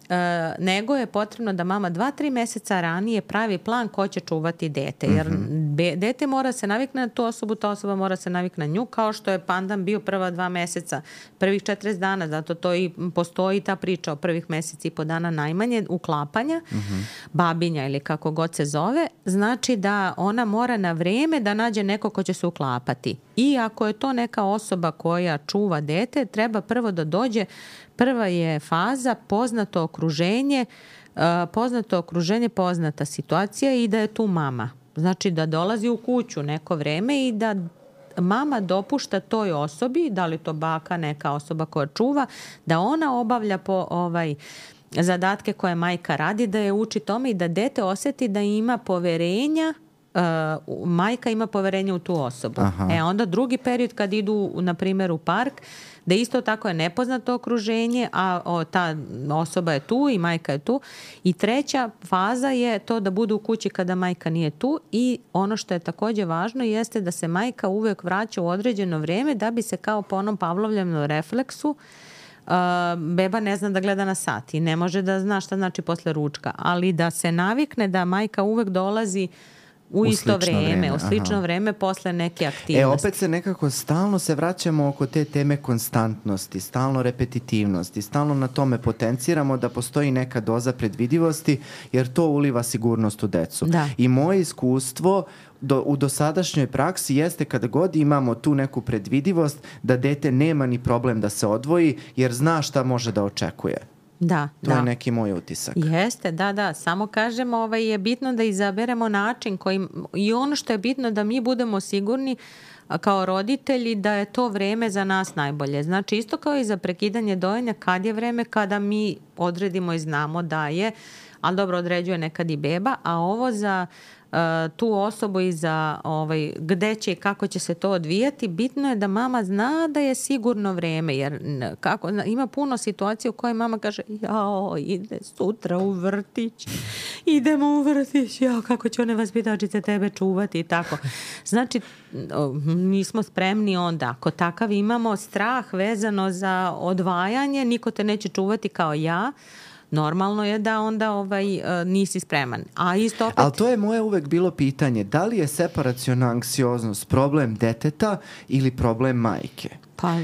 Speaker 2: Uh, nego je potrebno da mama dva, tri meseca ranije pravi plan ko će čuvati dete. Jer mm-hmm. be, dete mora se navikne na tu osobu, ta osoba mora se navikne na nju, kao što je pandan bio prva dva meseca, prvih četrdeset dana, zato to i postoji ta priča o prvih meseci i po dana najmanje uklapanja, mm-hmm. babinja ili kako god se zove, znači da ona mora na vreme da nađe neko ko će se uklapati. I ako je to neka osoba koja čuva dete, treba prvo da dođe. Prva je faza poznato okruženje, poznato okruženje, poznata situacija i da je tu mama. Znači da dolazi u kuću neko vreme i da mama dopušta toj osobi, da li to baka, neka osoba koja čuva, da ona obavlja po ovaj zadatke koje majka radi, da je uči tome i da dete osjeti da ima poverenja, uh, majka ima poverenje u tu osobu. Aha. E onda drugi period kad idu, na primjer, u park, da isto tako je nepoznato okruženje, a o, ta osoba je tu i majka je tu. I treća faza je to da budu u kući kada majka nije tu i ono što je također važno jeste da se majka uvijek vraća u određeno vrijeme da bi se kao po onom Pavlovljevom refleksu Uh, beba ne zna da gleda na sat i ne može da zna šta znači posle ručka, ali da se navikne da majka uvijek dolazi u, u isto vreme, u slično aha. vreme posle neke aktivnosti.
Speaker 1: E, opet se nekako stalno se vraćamo oko te teme konstantnosti, stalno repetitivnosti, stalno na tome potenciramo da postoji neka doza predvidivosti, jer to uliva sigurnost u decu.
Speaker 2: Da.
Speaker 1: I moje iskustvo do, u dosadašnjoj praksi jeste kada god imamo tu neku predvidivost da dete nema ni problem da se odvoji, jer zna šta može da očekuje.
Speaker 2: Da,
Speaker 1: to
Speaker 2: da.
Speaker 1: je neki moj utisak.
Speaker 2: Jeste, da, da. Samo kažemo, ovaj, je bitno da izaberemo način koji, i ono što je bitno da mi budemo sigurni kao roditelji da je to vreme za nas najbolje. Znači isto kao i za prekidanje dojenja, kad je vreme kada mi odredimo i znamo da je, ali dobro određuje nekad i beba, a ovo za uh, tu osobu i za ovaj, gde će i kako će se to odvijati, bitno je da mama zna da je sigurno vreme, jer kako, ima puno situacija u kojoj mama kaže jao, ide sutra u vrtić, idemo u vrtić, jao, kako će one vaspitačice tebe čuvati i tako. Znači, mi smo spremni onda, ako takav imamo strah vezano za odvajanje, niko te neće čuvati kao ja, normalno je da onda ovaj, uh, nisi spreman. A isto opet...
Speaker 1: Ali to je moje uvek bilo pitanje, da li je separaciona anksioznost problem deteta ili problem majke?
Speaker 2: Pa...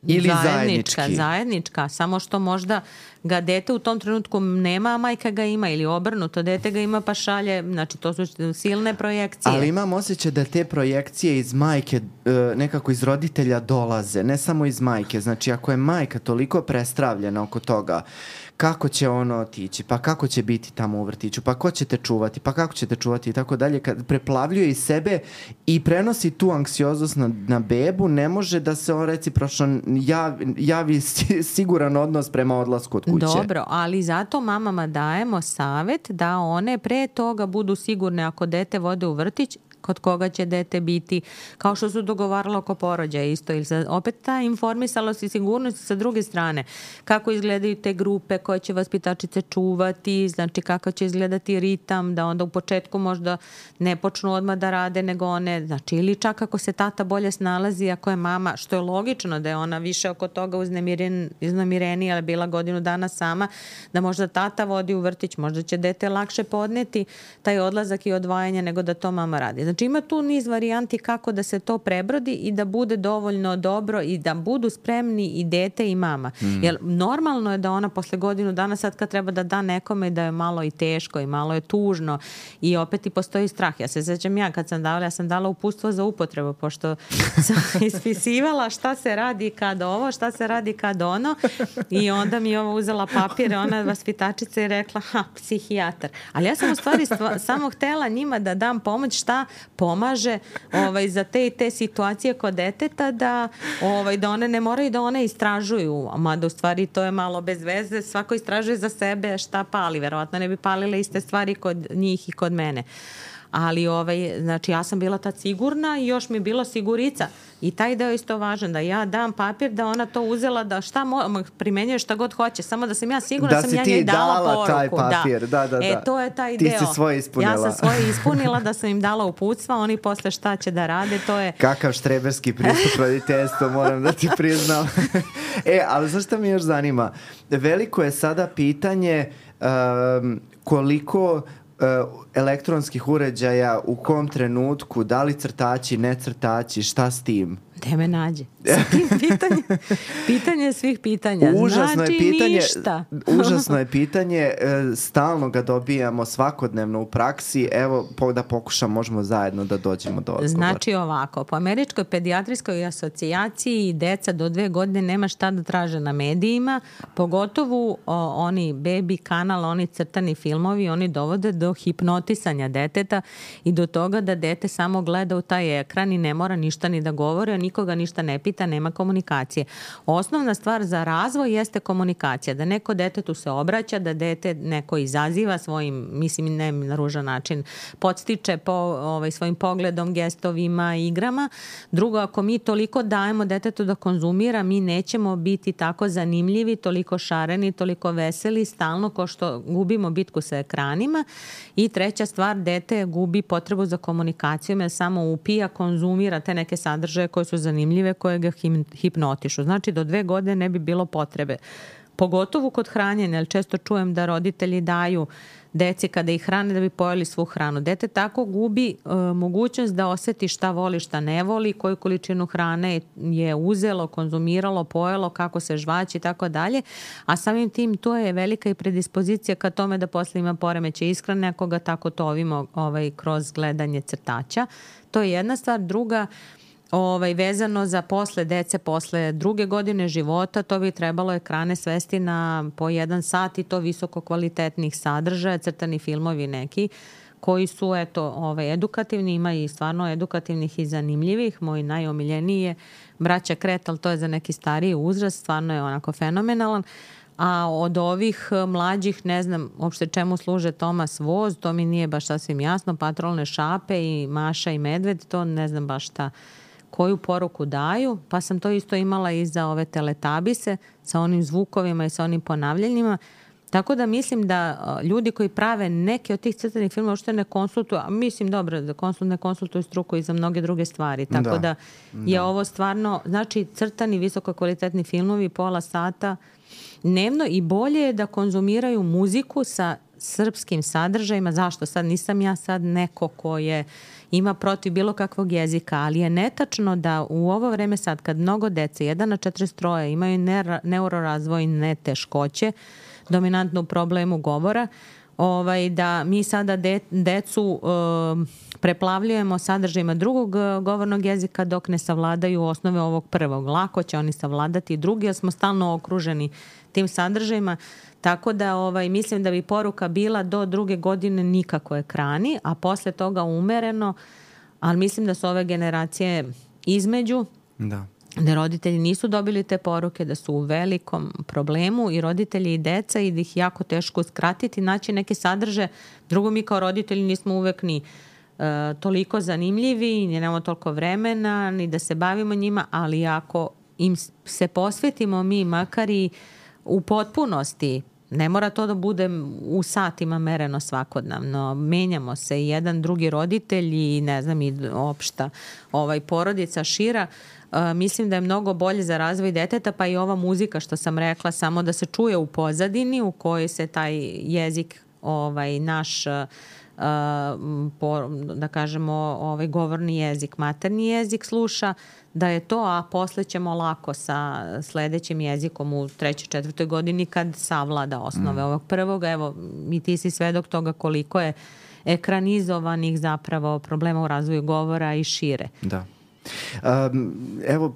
Speaker 1: Ili
Speaker 2: zajednička,
Speaker 1: zajednički.
Speaker 2: zajednička, samo što možda ga dete u tom trenutku nema, a majka ga ima, ili obrnuto, dete ga ima pa šalje, znači to su silne projekcije.
Speaker 1: Ali imam osjećaj da te projekcije iz majke, nekako iz roditelja dolaze, ne samo iz majke, znači ako je majka toliko prestravljena oko toga, kako će ono otići, pa kako će biti tamo u vrtiću, pa ko će te čuvati, pa kako će te čuvati i tako dalje, kad preplavljuje iz sebe i prenosi tu anksioznost na, na bebu, ne može da se on recipročno javi, javi siguran odnos prema odlasku od kuće.
Speaker 2: Dobro, ali zato mamama dajemo savjet da one pre toga budu sigurne ako dete vode u vrtić, kod koga će dete biti, kao što su dogovaralo oko porođaja isto. Ili sa, opet ta informisalost i sigurnost sa druge strane. Kako izgledaju te grupe koje će vaspitačice čuvati, znači kako će izgledati ritam, da onda u početku možda ne počnu odmah da rade nego one, znači ili čak ako se tata bolje snalazi, ako je mama, što je logično da je ona više oko toga uznemiren, uznemirenija, ali bila godinu dana sama, da možda tata vodi u vrtić, možda će dete lakše podneti taj odlazak i odvajanje nego da to mama radi. Znači Znači ima tu niz varijanti kako da se to prebrodi i da bude dovoljno dobro i da budu spremni i dete i mama. Mm. Jer normalno je da ona posle godinu dana sad kad treba da da nekome da je malo i teško i malo je tužno i opet i postoji strah. Ja se sećam ja kad sam davala, ja sam dala uputstvo za upotrebu pošto sam ispisivala šta se radi kad ovo, šta se radi kad ono i onda mi je ovo uzela papire, ona vaspitačica i rekla ha, psihijatar. Ali ja sam u stvari stva, samo htela njima da dam pomoć šta pomaže ovaj, za te i te situacije kod deteta da, ovaj, da one ne moraju da one istražuju, mada u stvari to je malo bez veze, svako istražuje za sebe šta pali, verovatno ne bi palile iste stvari kod njih i kod mene. Ali ovaj, znači ja sam bila tad sigurna i još mi je bilo sigurica. I taj deo isto važan, da ja dam papir da ona to uzela, da šta mo, primenjuje šta god hoće, samo da sam ja sigurna da sam ja njoj dala poruku. Da si ti dala taj papir, da, da, da. E, to je taj
Speaker 1: ti
Speaker 2: deo.
Speaker 1: Ti si svoje ispunila.
Speaker 2: Ja sam svoje ispunila, da sam im dala uputstva, oni posle šta će da rade, to je...
Speaker 1: Kakav štreberski pristup roditeljstva, moram da ti priznam. E, ali znaš šta mi još zanima? Veliko je sada pitanje um, koliko... Uh, elektronskih uređaja, u kom trenutku, da li crtači, ne crtači, šta s tim?
Speaker 2: Gde me nađe? Sa tim pitanje, pitanje svih pitanja.
Speaker 1: Užasno
Speaker 2: znači
Speaker 1: je pitanje,
Speaker 2: ništa.
Speaker 1: Užasno je pitanje, stalno ga dobijamo svakodnevno u praksi, evo da pokušam, možemo zajedno da dođemo do odgovora.
Speaker 2: Znači ovako, po Američkoj pedijatrijskoj asocijaciji deca do dve godine nema šta da traže na medijima, pogotovo o, oni baby kanal, oni crtani filmovi, oni dovode do hipnotisanja deteta i do toga da dete samo gleda u taj ekran i ne mora ništa ni da govori, a nikoga ništa ne pita, nema komunikacije. Osnovna stvar za razvoj jeste komunikacija, da neko detetu se obraća, da dete neko izaziva svojim, mislim ne na ružan način, podstiče po ovaj, svojim pogledom, gestovima, igrama. Drugo, ako mi toliko dajemo detetu da konzumira, mi nećemo biti tako zanimljivi, toliko šareni, toliko veseli, stalno ko što gubimo bitku sa ekranima. I treća stvar, dete gubi potrebu za komunikacijom, jer samo upija, konzumira te neke sadržaje koje su zanimljive, koje ga hipnotišu. Znači, do dve godine ne bi bilo potrebe. Pogotovo kod hranjenja, jer često čujem da roditelji daju deci kada ih hrane da bi pojeli svu hranu. Dete tako gubi e, mogućnost da oseti šta voli, šta ne voli, koju količinu hrane je uzelo, konzumiralo, pojelo, kako se žvaći i tako dalje. A samim tim to je velika i predispozicija ka tome da posle ima poremeće ishrane ako ga tako tovimo ovaj, kroz gledanje crtača. To je jedna stvar. Druga, Ovaj, vezano za posle dece, posle druge godine života, to bi trebalo ekrane svesti na po jedan sat i to visoko kvalitetnih sadržaja, crtani filmovi neki, koji su eto, ovaj, edukativni, ima i stvarno edukativnih i zanimljivih. Moj najomiljeniji je Braća Kret, ali to je za neki stariji uzrast, stvarno je onako fenomenalan. A od ovih mlađih, ne znam uopšte čemu služe Tomas Voz, to mi nije baš sasvim jasno, Patrolne šape i Maša i Medved, to ne znam baš šta koju poruku daju, pa sam to isto imala i za ove teletabise sa onim zvukovima i sa onim ponavljanjima. Tako da mislim da ljudi koji prave neke od tih crtanih filmova uopšte ne konsultuju, a mislim dobro da konsul, ne konsultuju struku i za mnoge druge stvari. Tako da, da je da. Ovo stvarno, znači crtani visoko kvalitetni filmovi pola sata dnevno i bolje je da konzumiraju muziku sa srpskim sadržajima. Zašto? Sad nisam ja sad neko ko je ima protiv bilo kakvog jezika, ali je netačno da u ovo vreme sad kad mnogo dece, jedan na četrdeset tri imaju neurorazvojne teškoće, dominantnu problemu govora, ovaj, da mi sada de, decu e, preplavljujemo sadržajima drugog govornog jezika dok ne savladaju osnove ovog prvog. Lako će oni savladati drugi, jer smo stalno okruženi tim sadržajima. Tako da ovaj, mislim da bi poruka bila do druge godine nikako ekrani, a posle toga umereno, ali mislim da su ove generacije između, da. Da roditelji nisu dobili te poruke, da su u velikom problemu i roditelji i deca i da ih jako teško uskratiti, naći neke sadrže. Drugo, mi kao roditelji nismo uvek ni uh, toliko zanimljivi, ni nemamo toliko vremena, ni da se bavimo njima, ali ako im se posvetimo mi makar i u potpunosti, ne mora to da bude u satima mereno svakodnevno, menjamo se i jedan drugi roditelj i ne znam i opšta ovaj, porodica šira, uh, mislim da je mnogo bolje za razvoj deteta, pa i ova muzika što sam rekla, samo da se čuje u pozadini u kojoj se taj jezik ovaj, naš Uh, po, da kažemo ovaj govorni jezik, materni jezik sluša, da je to, a posle ćemo lako sa sledećim jezikom u trećoj, četvrtoj godini kad savlada osnove mm. ovog prvog. Evo, i ti si svedok toga koliko je ekranizovanih zapravo problema u razvoju govora i šire.
Speaker 1: Da. Um, evo,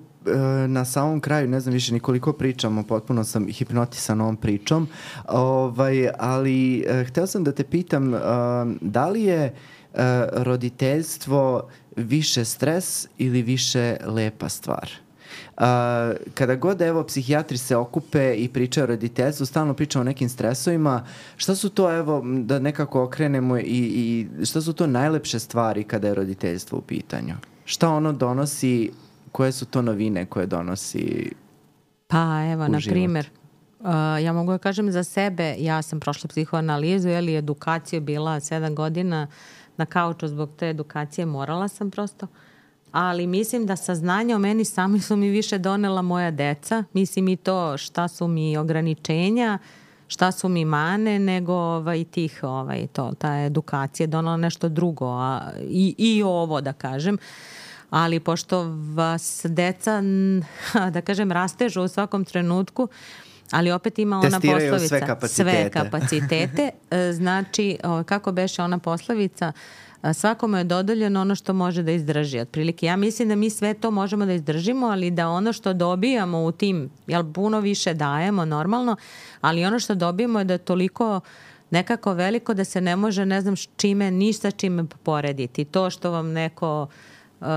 Speaker 1: na samom kraju, ne znam više nikoliko pričamo, potpuno sam hipnotisan ovom pričom, ovaj, ali uh, hteo sam da te pitam, uh, da li je uh, roditeljstvo više stres ili više lepa stvar? Uh, kada god evo psihijatri se okupe i pričaju o roditeljstvu, stalno pričamo o nekim stresovima, šta su to, evo, da nekako okrenemo i, i šta su to najlepše stvari kada je roditeljstvo u pitanju? Šta ono donosi, koje su to novine koje donosi
Speaker 2: Pa evo, na primjer, uh, ja mogu da kažem za sebe, ja sam prošla psihoanalizu, ili edukaciju bila sedam godina na kauču, zbog te edukacije morala sam prosto, ali mislim da saznanja o meni sami su mi više donela moja deca, mislim i to šta su mi ograničenja, šta su mi mane, nego ovaj, tih, ovaj, to, ta edukacija donela nešto drugo, a, i, i ovo da kažem. Ali pošto vas deca, da kažem, rastežu u svakom trenutku, ali opet ima ona
Speaker 1: testiraju
Speaker 2: poslovica.
Speaker 1: sve kapacitete.
Speaker 2: Sve kapacitete. Znači, kako beše ona poslovica, svakome je dodeljeno ono što može da izdrži. Otprilike, ja mislim da mi sve to možemo da izdržimo, ali da ono što dobijamo u tim, jel puno više dajemo normalno, ali ono što dobijemo je da je toliko nekako veliko da se ne može, ne znam čime, ništa čime porediti. To što vam neko Uh,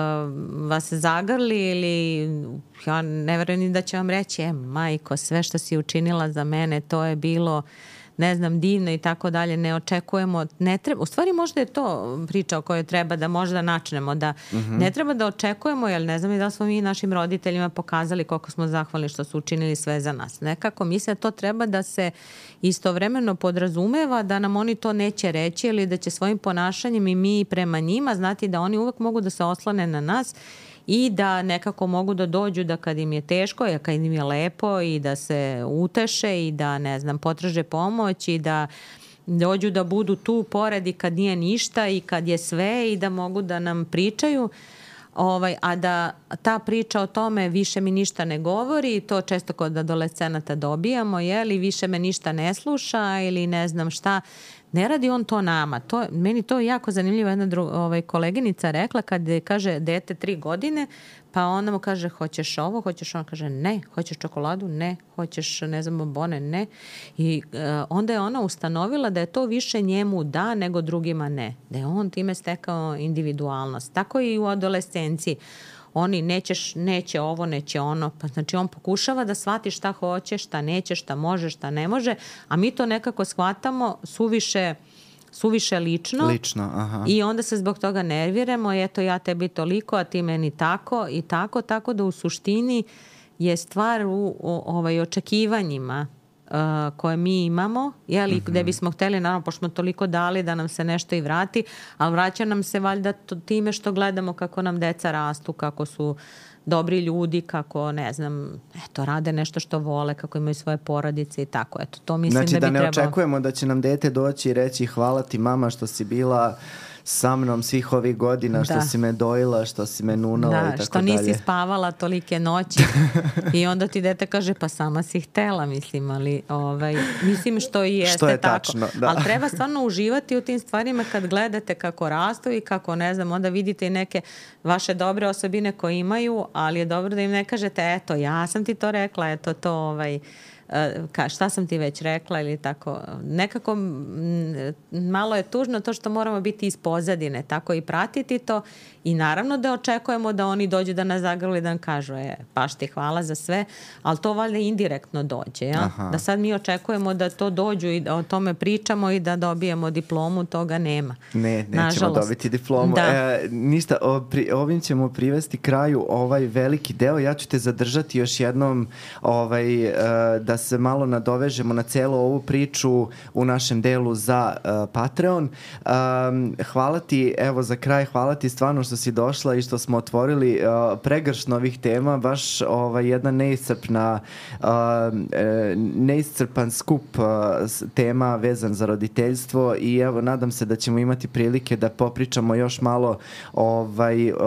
Speaker 2: vas zagrli ili ja ne verujem ni da će vam reći e majko, sve što si učinila za mene to je bilo, ne znam, divno i tako dalje, ne očekujemo, ne treba, u stvari možda je to priča o kojoj treba da možda načnemo, da mm-hmm. ne treba da očekujemo, jer ne znam i da smo mi našim roditeljima pokazali koliko smo zahvalni što su učinili sve za nas. Nekako mislim da to treba da se istovremeno podrazumeva da nam oni to neće reći ili da će svojim ponašanjem i mi prema njima znati da oni uvek mogu da se oslane na nas i da nekako mogu da dođu da kad im je teško, a kad im je lepo i da se uteše i da, ne znam, potraže pomoć i da dođu da budu tu pored i kad nije ništa i kad je sve i da mogu da nam pričaju. Ovaj, a da ta priča o tome više mi ništa ne govori, to često kod adolescenata dobijamo, jeli, više me ništa ne sluša ili ne znam šta. Ne radi on to nama. To, meni to je jako zanimljivo. Jedna dru, ovaj, koleginica rekla kad je, kaže dete tri godine, pa ona mu kaže hoćeš ovo, hoćeš ono, kaže ne, hoćeš čokoladu, ne, hoćeš ne znam bombone, ne. I uh, onda je ona ustanovila da je to više njemu da nego drugima ne. Da je on time stekao individualnost. Tako i u adolescenciji. Oni nećeš, neće ovo, neće ono. Pa znači on pokušava da shvati šta hoće, šta neće, šta može, šta ne može, a mi to nekako shvatamo suviše, suviše lično.
Speaker 1: Lično, aha.
Speaker 2: I onda se zbog toga nerviramo, eto ja tebi toliko, a ti meni tako i tako, tako da u suštini je stvar u, u ovaj, očekivanjima Uh, koje mi imamo, jeli, mm-hmm. gde bismo hteli, naravno, pošto smo toliko dali da nam se nešto i vrati, ali vraća nam se valjda to, time što gledamo kako nam deca rastu, kako su dobri ljudi, kako, ne znam, eto, rade nešto što vole, kako imaju svoje porodice i tako, eto, to mislim
Speaker 1: znači,
Speaker 2: da bi
Speaker 1: trebalo.
Speaker 2: trebalo.
Speaker 1: Znači da ne očekujemo da će nam dete doći i reći hvala ti mama što si bila sa mnom svih ovih godina, što da. si me dojila, što si me nunala
Speaker 2: da,
Speaker 1: i tako dalje. Da,
Speaker 2: što nisi dalje. spavala tolike noći i onda ti dete kaže pa sama si htela, mislim, ali ovaj, mislim što i jeste
Speaker 1: što je
Speaker 2: tako.
Speaker 1: Tačno, da.
Speaker 2: Ali treba stvarno uživati u tim stvarima kad gledate kako rastu i kako, ne znam, onda vidite i neke vaše dobre osobine koje imaju, ali je dobro da im ne kažete eto, ja sam ti to rekla, eto to ovaj... Ka, šta sam ti već rekla ili tako. Nekako m, malo je tužno to što moramo biti iz pozadine, tako i pratiti to i naravno da očekujemo da oni dođu da nas zagrli da nam kažu e, baš ti hvala za sve, ali to valjda indirektno dođe. Ja? Da sad mi očekujemo da to dođu i da o tome pričamo i da dobijemo diplomu, toga nema.
Speaker 1: Ne, nećemo
Speaker 2: Nažalost.
Speaker 1: dobiti diplomu.
Speaker 2: Da.
Speaker 1: E, ništa, o, pri, ovim ćemo privesti kraju ovaj veliki deo. Ja ću te zadržati još jednom ovaj, uh, da da se malo nadovežemo na celu ovu priču u našem delu za uh, Patreon. Um, hvala ti, evo za kraj, hvala ti stvarno što si došla i što smo otvorili uh, pregršt novih tema, baš ovaj, jedna neiscrpna uh, neiscrpan skup uh, tema vezan za roditeljstvo i evo nadam se da ćemo imati prilike da popričamo još malo. Ovaj, uh,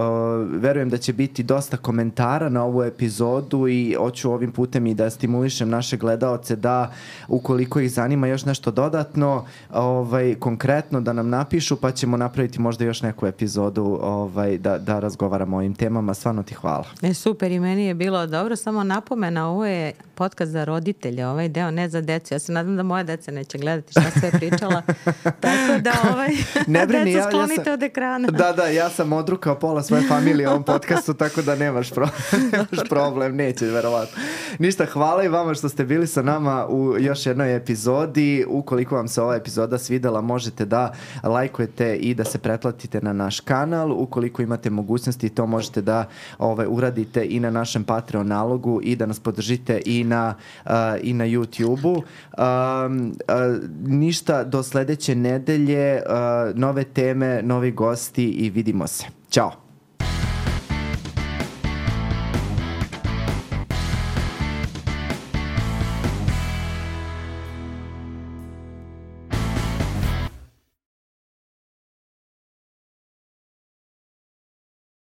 Speaker 1: verujem da će biti dosta komentara na ovu epizodu i hoću ovim putem i da stimulišem naše gledaoce da ukoliko ih zanima još nešto dodatno, ovaj, konkretno da nam napišu pa ćemo napraviti možda još neku epizodu ovaj, da, da razgovaramo o ovim temama. Stvarno ti hvala.
Speaker 2: E, super, i meni je bilo dobro, samo napomena, ovo je podcast za roditelje, ovaj deo ne za decu. Ja se nadam da moja deca neće gledati šta sve pričala, tako da ovaj,
Speaker 1: ne brini,
Speaker 2: deca sklonite
Speaker 1: ja, ja sam,
Speaker 2: od ekrana.
Speaker 1: Da, da, ja sam odrukao pola svoje familije u ovom podcastu, tako da nemaš problem, nemaš problem, neće verovatno. Ništa, hvala i vama što ste bili sa nama u još jednoj epizodi. Ukoliko vam se ova epizoda svidela, možete da lajkujete i da se pretplatite na naš kanal. Ukoliko imate mogućnosti, to možete da ovaj, uradite i na našem Patreon nalogu i da nas podržite i na, uh, i na YouTube-u. Um, uh, ništa, do sledeće nedelje, uh, nove teme, novi gosti i vidimo se. Ćao!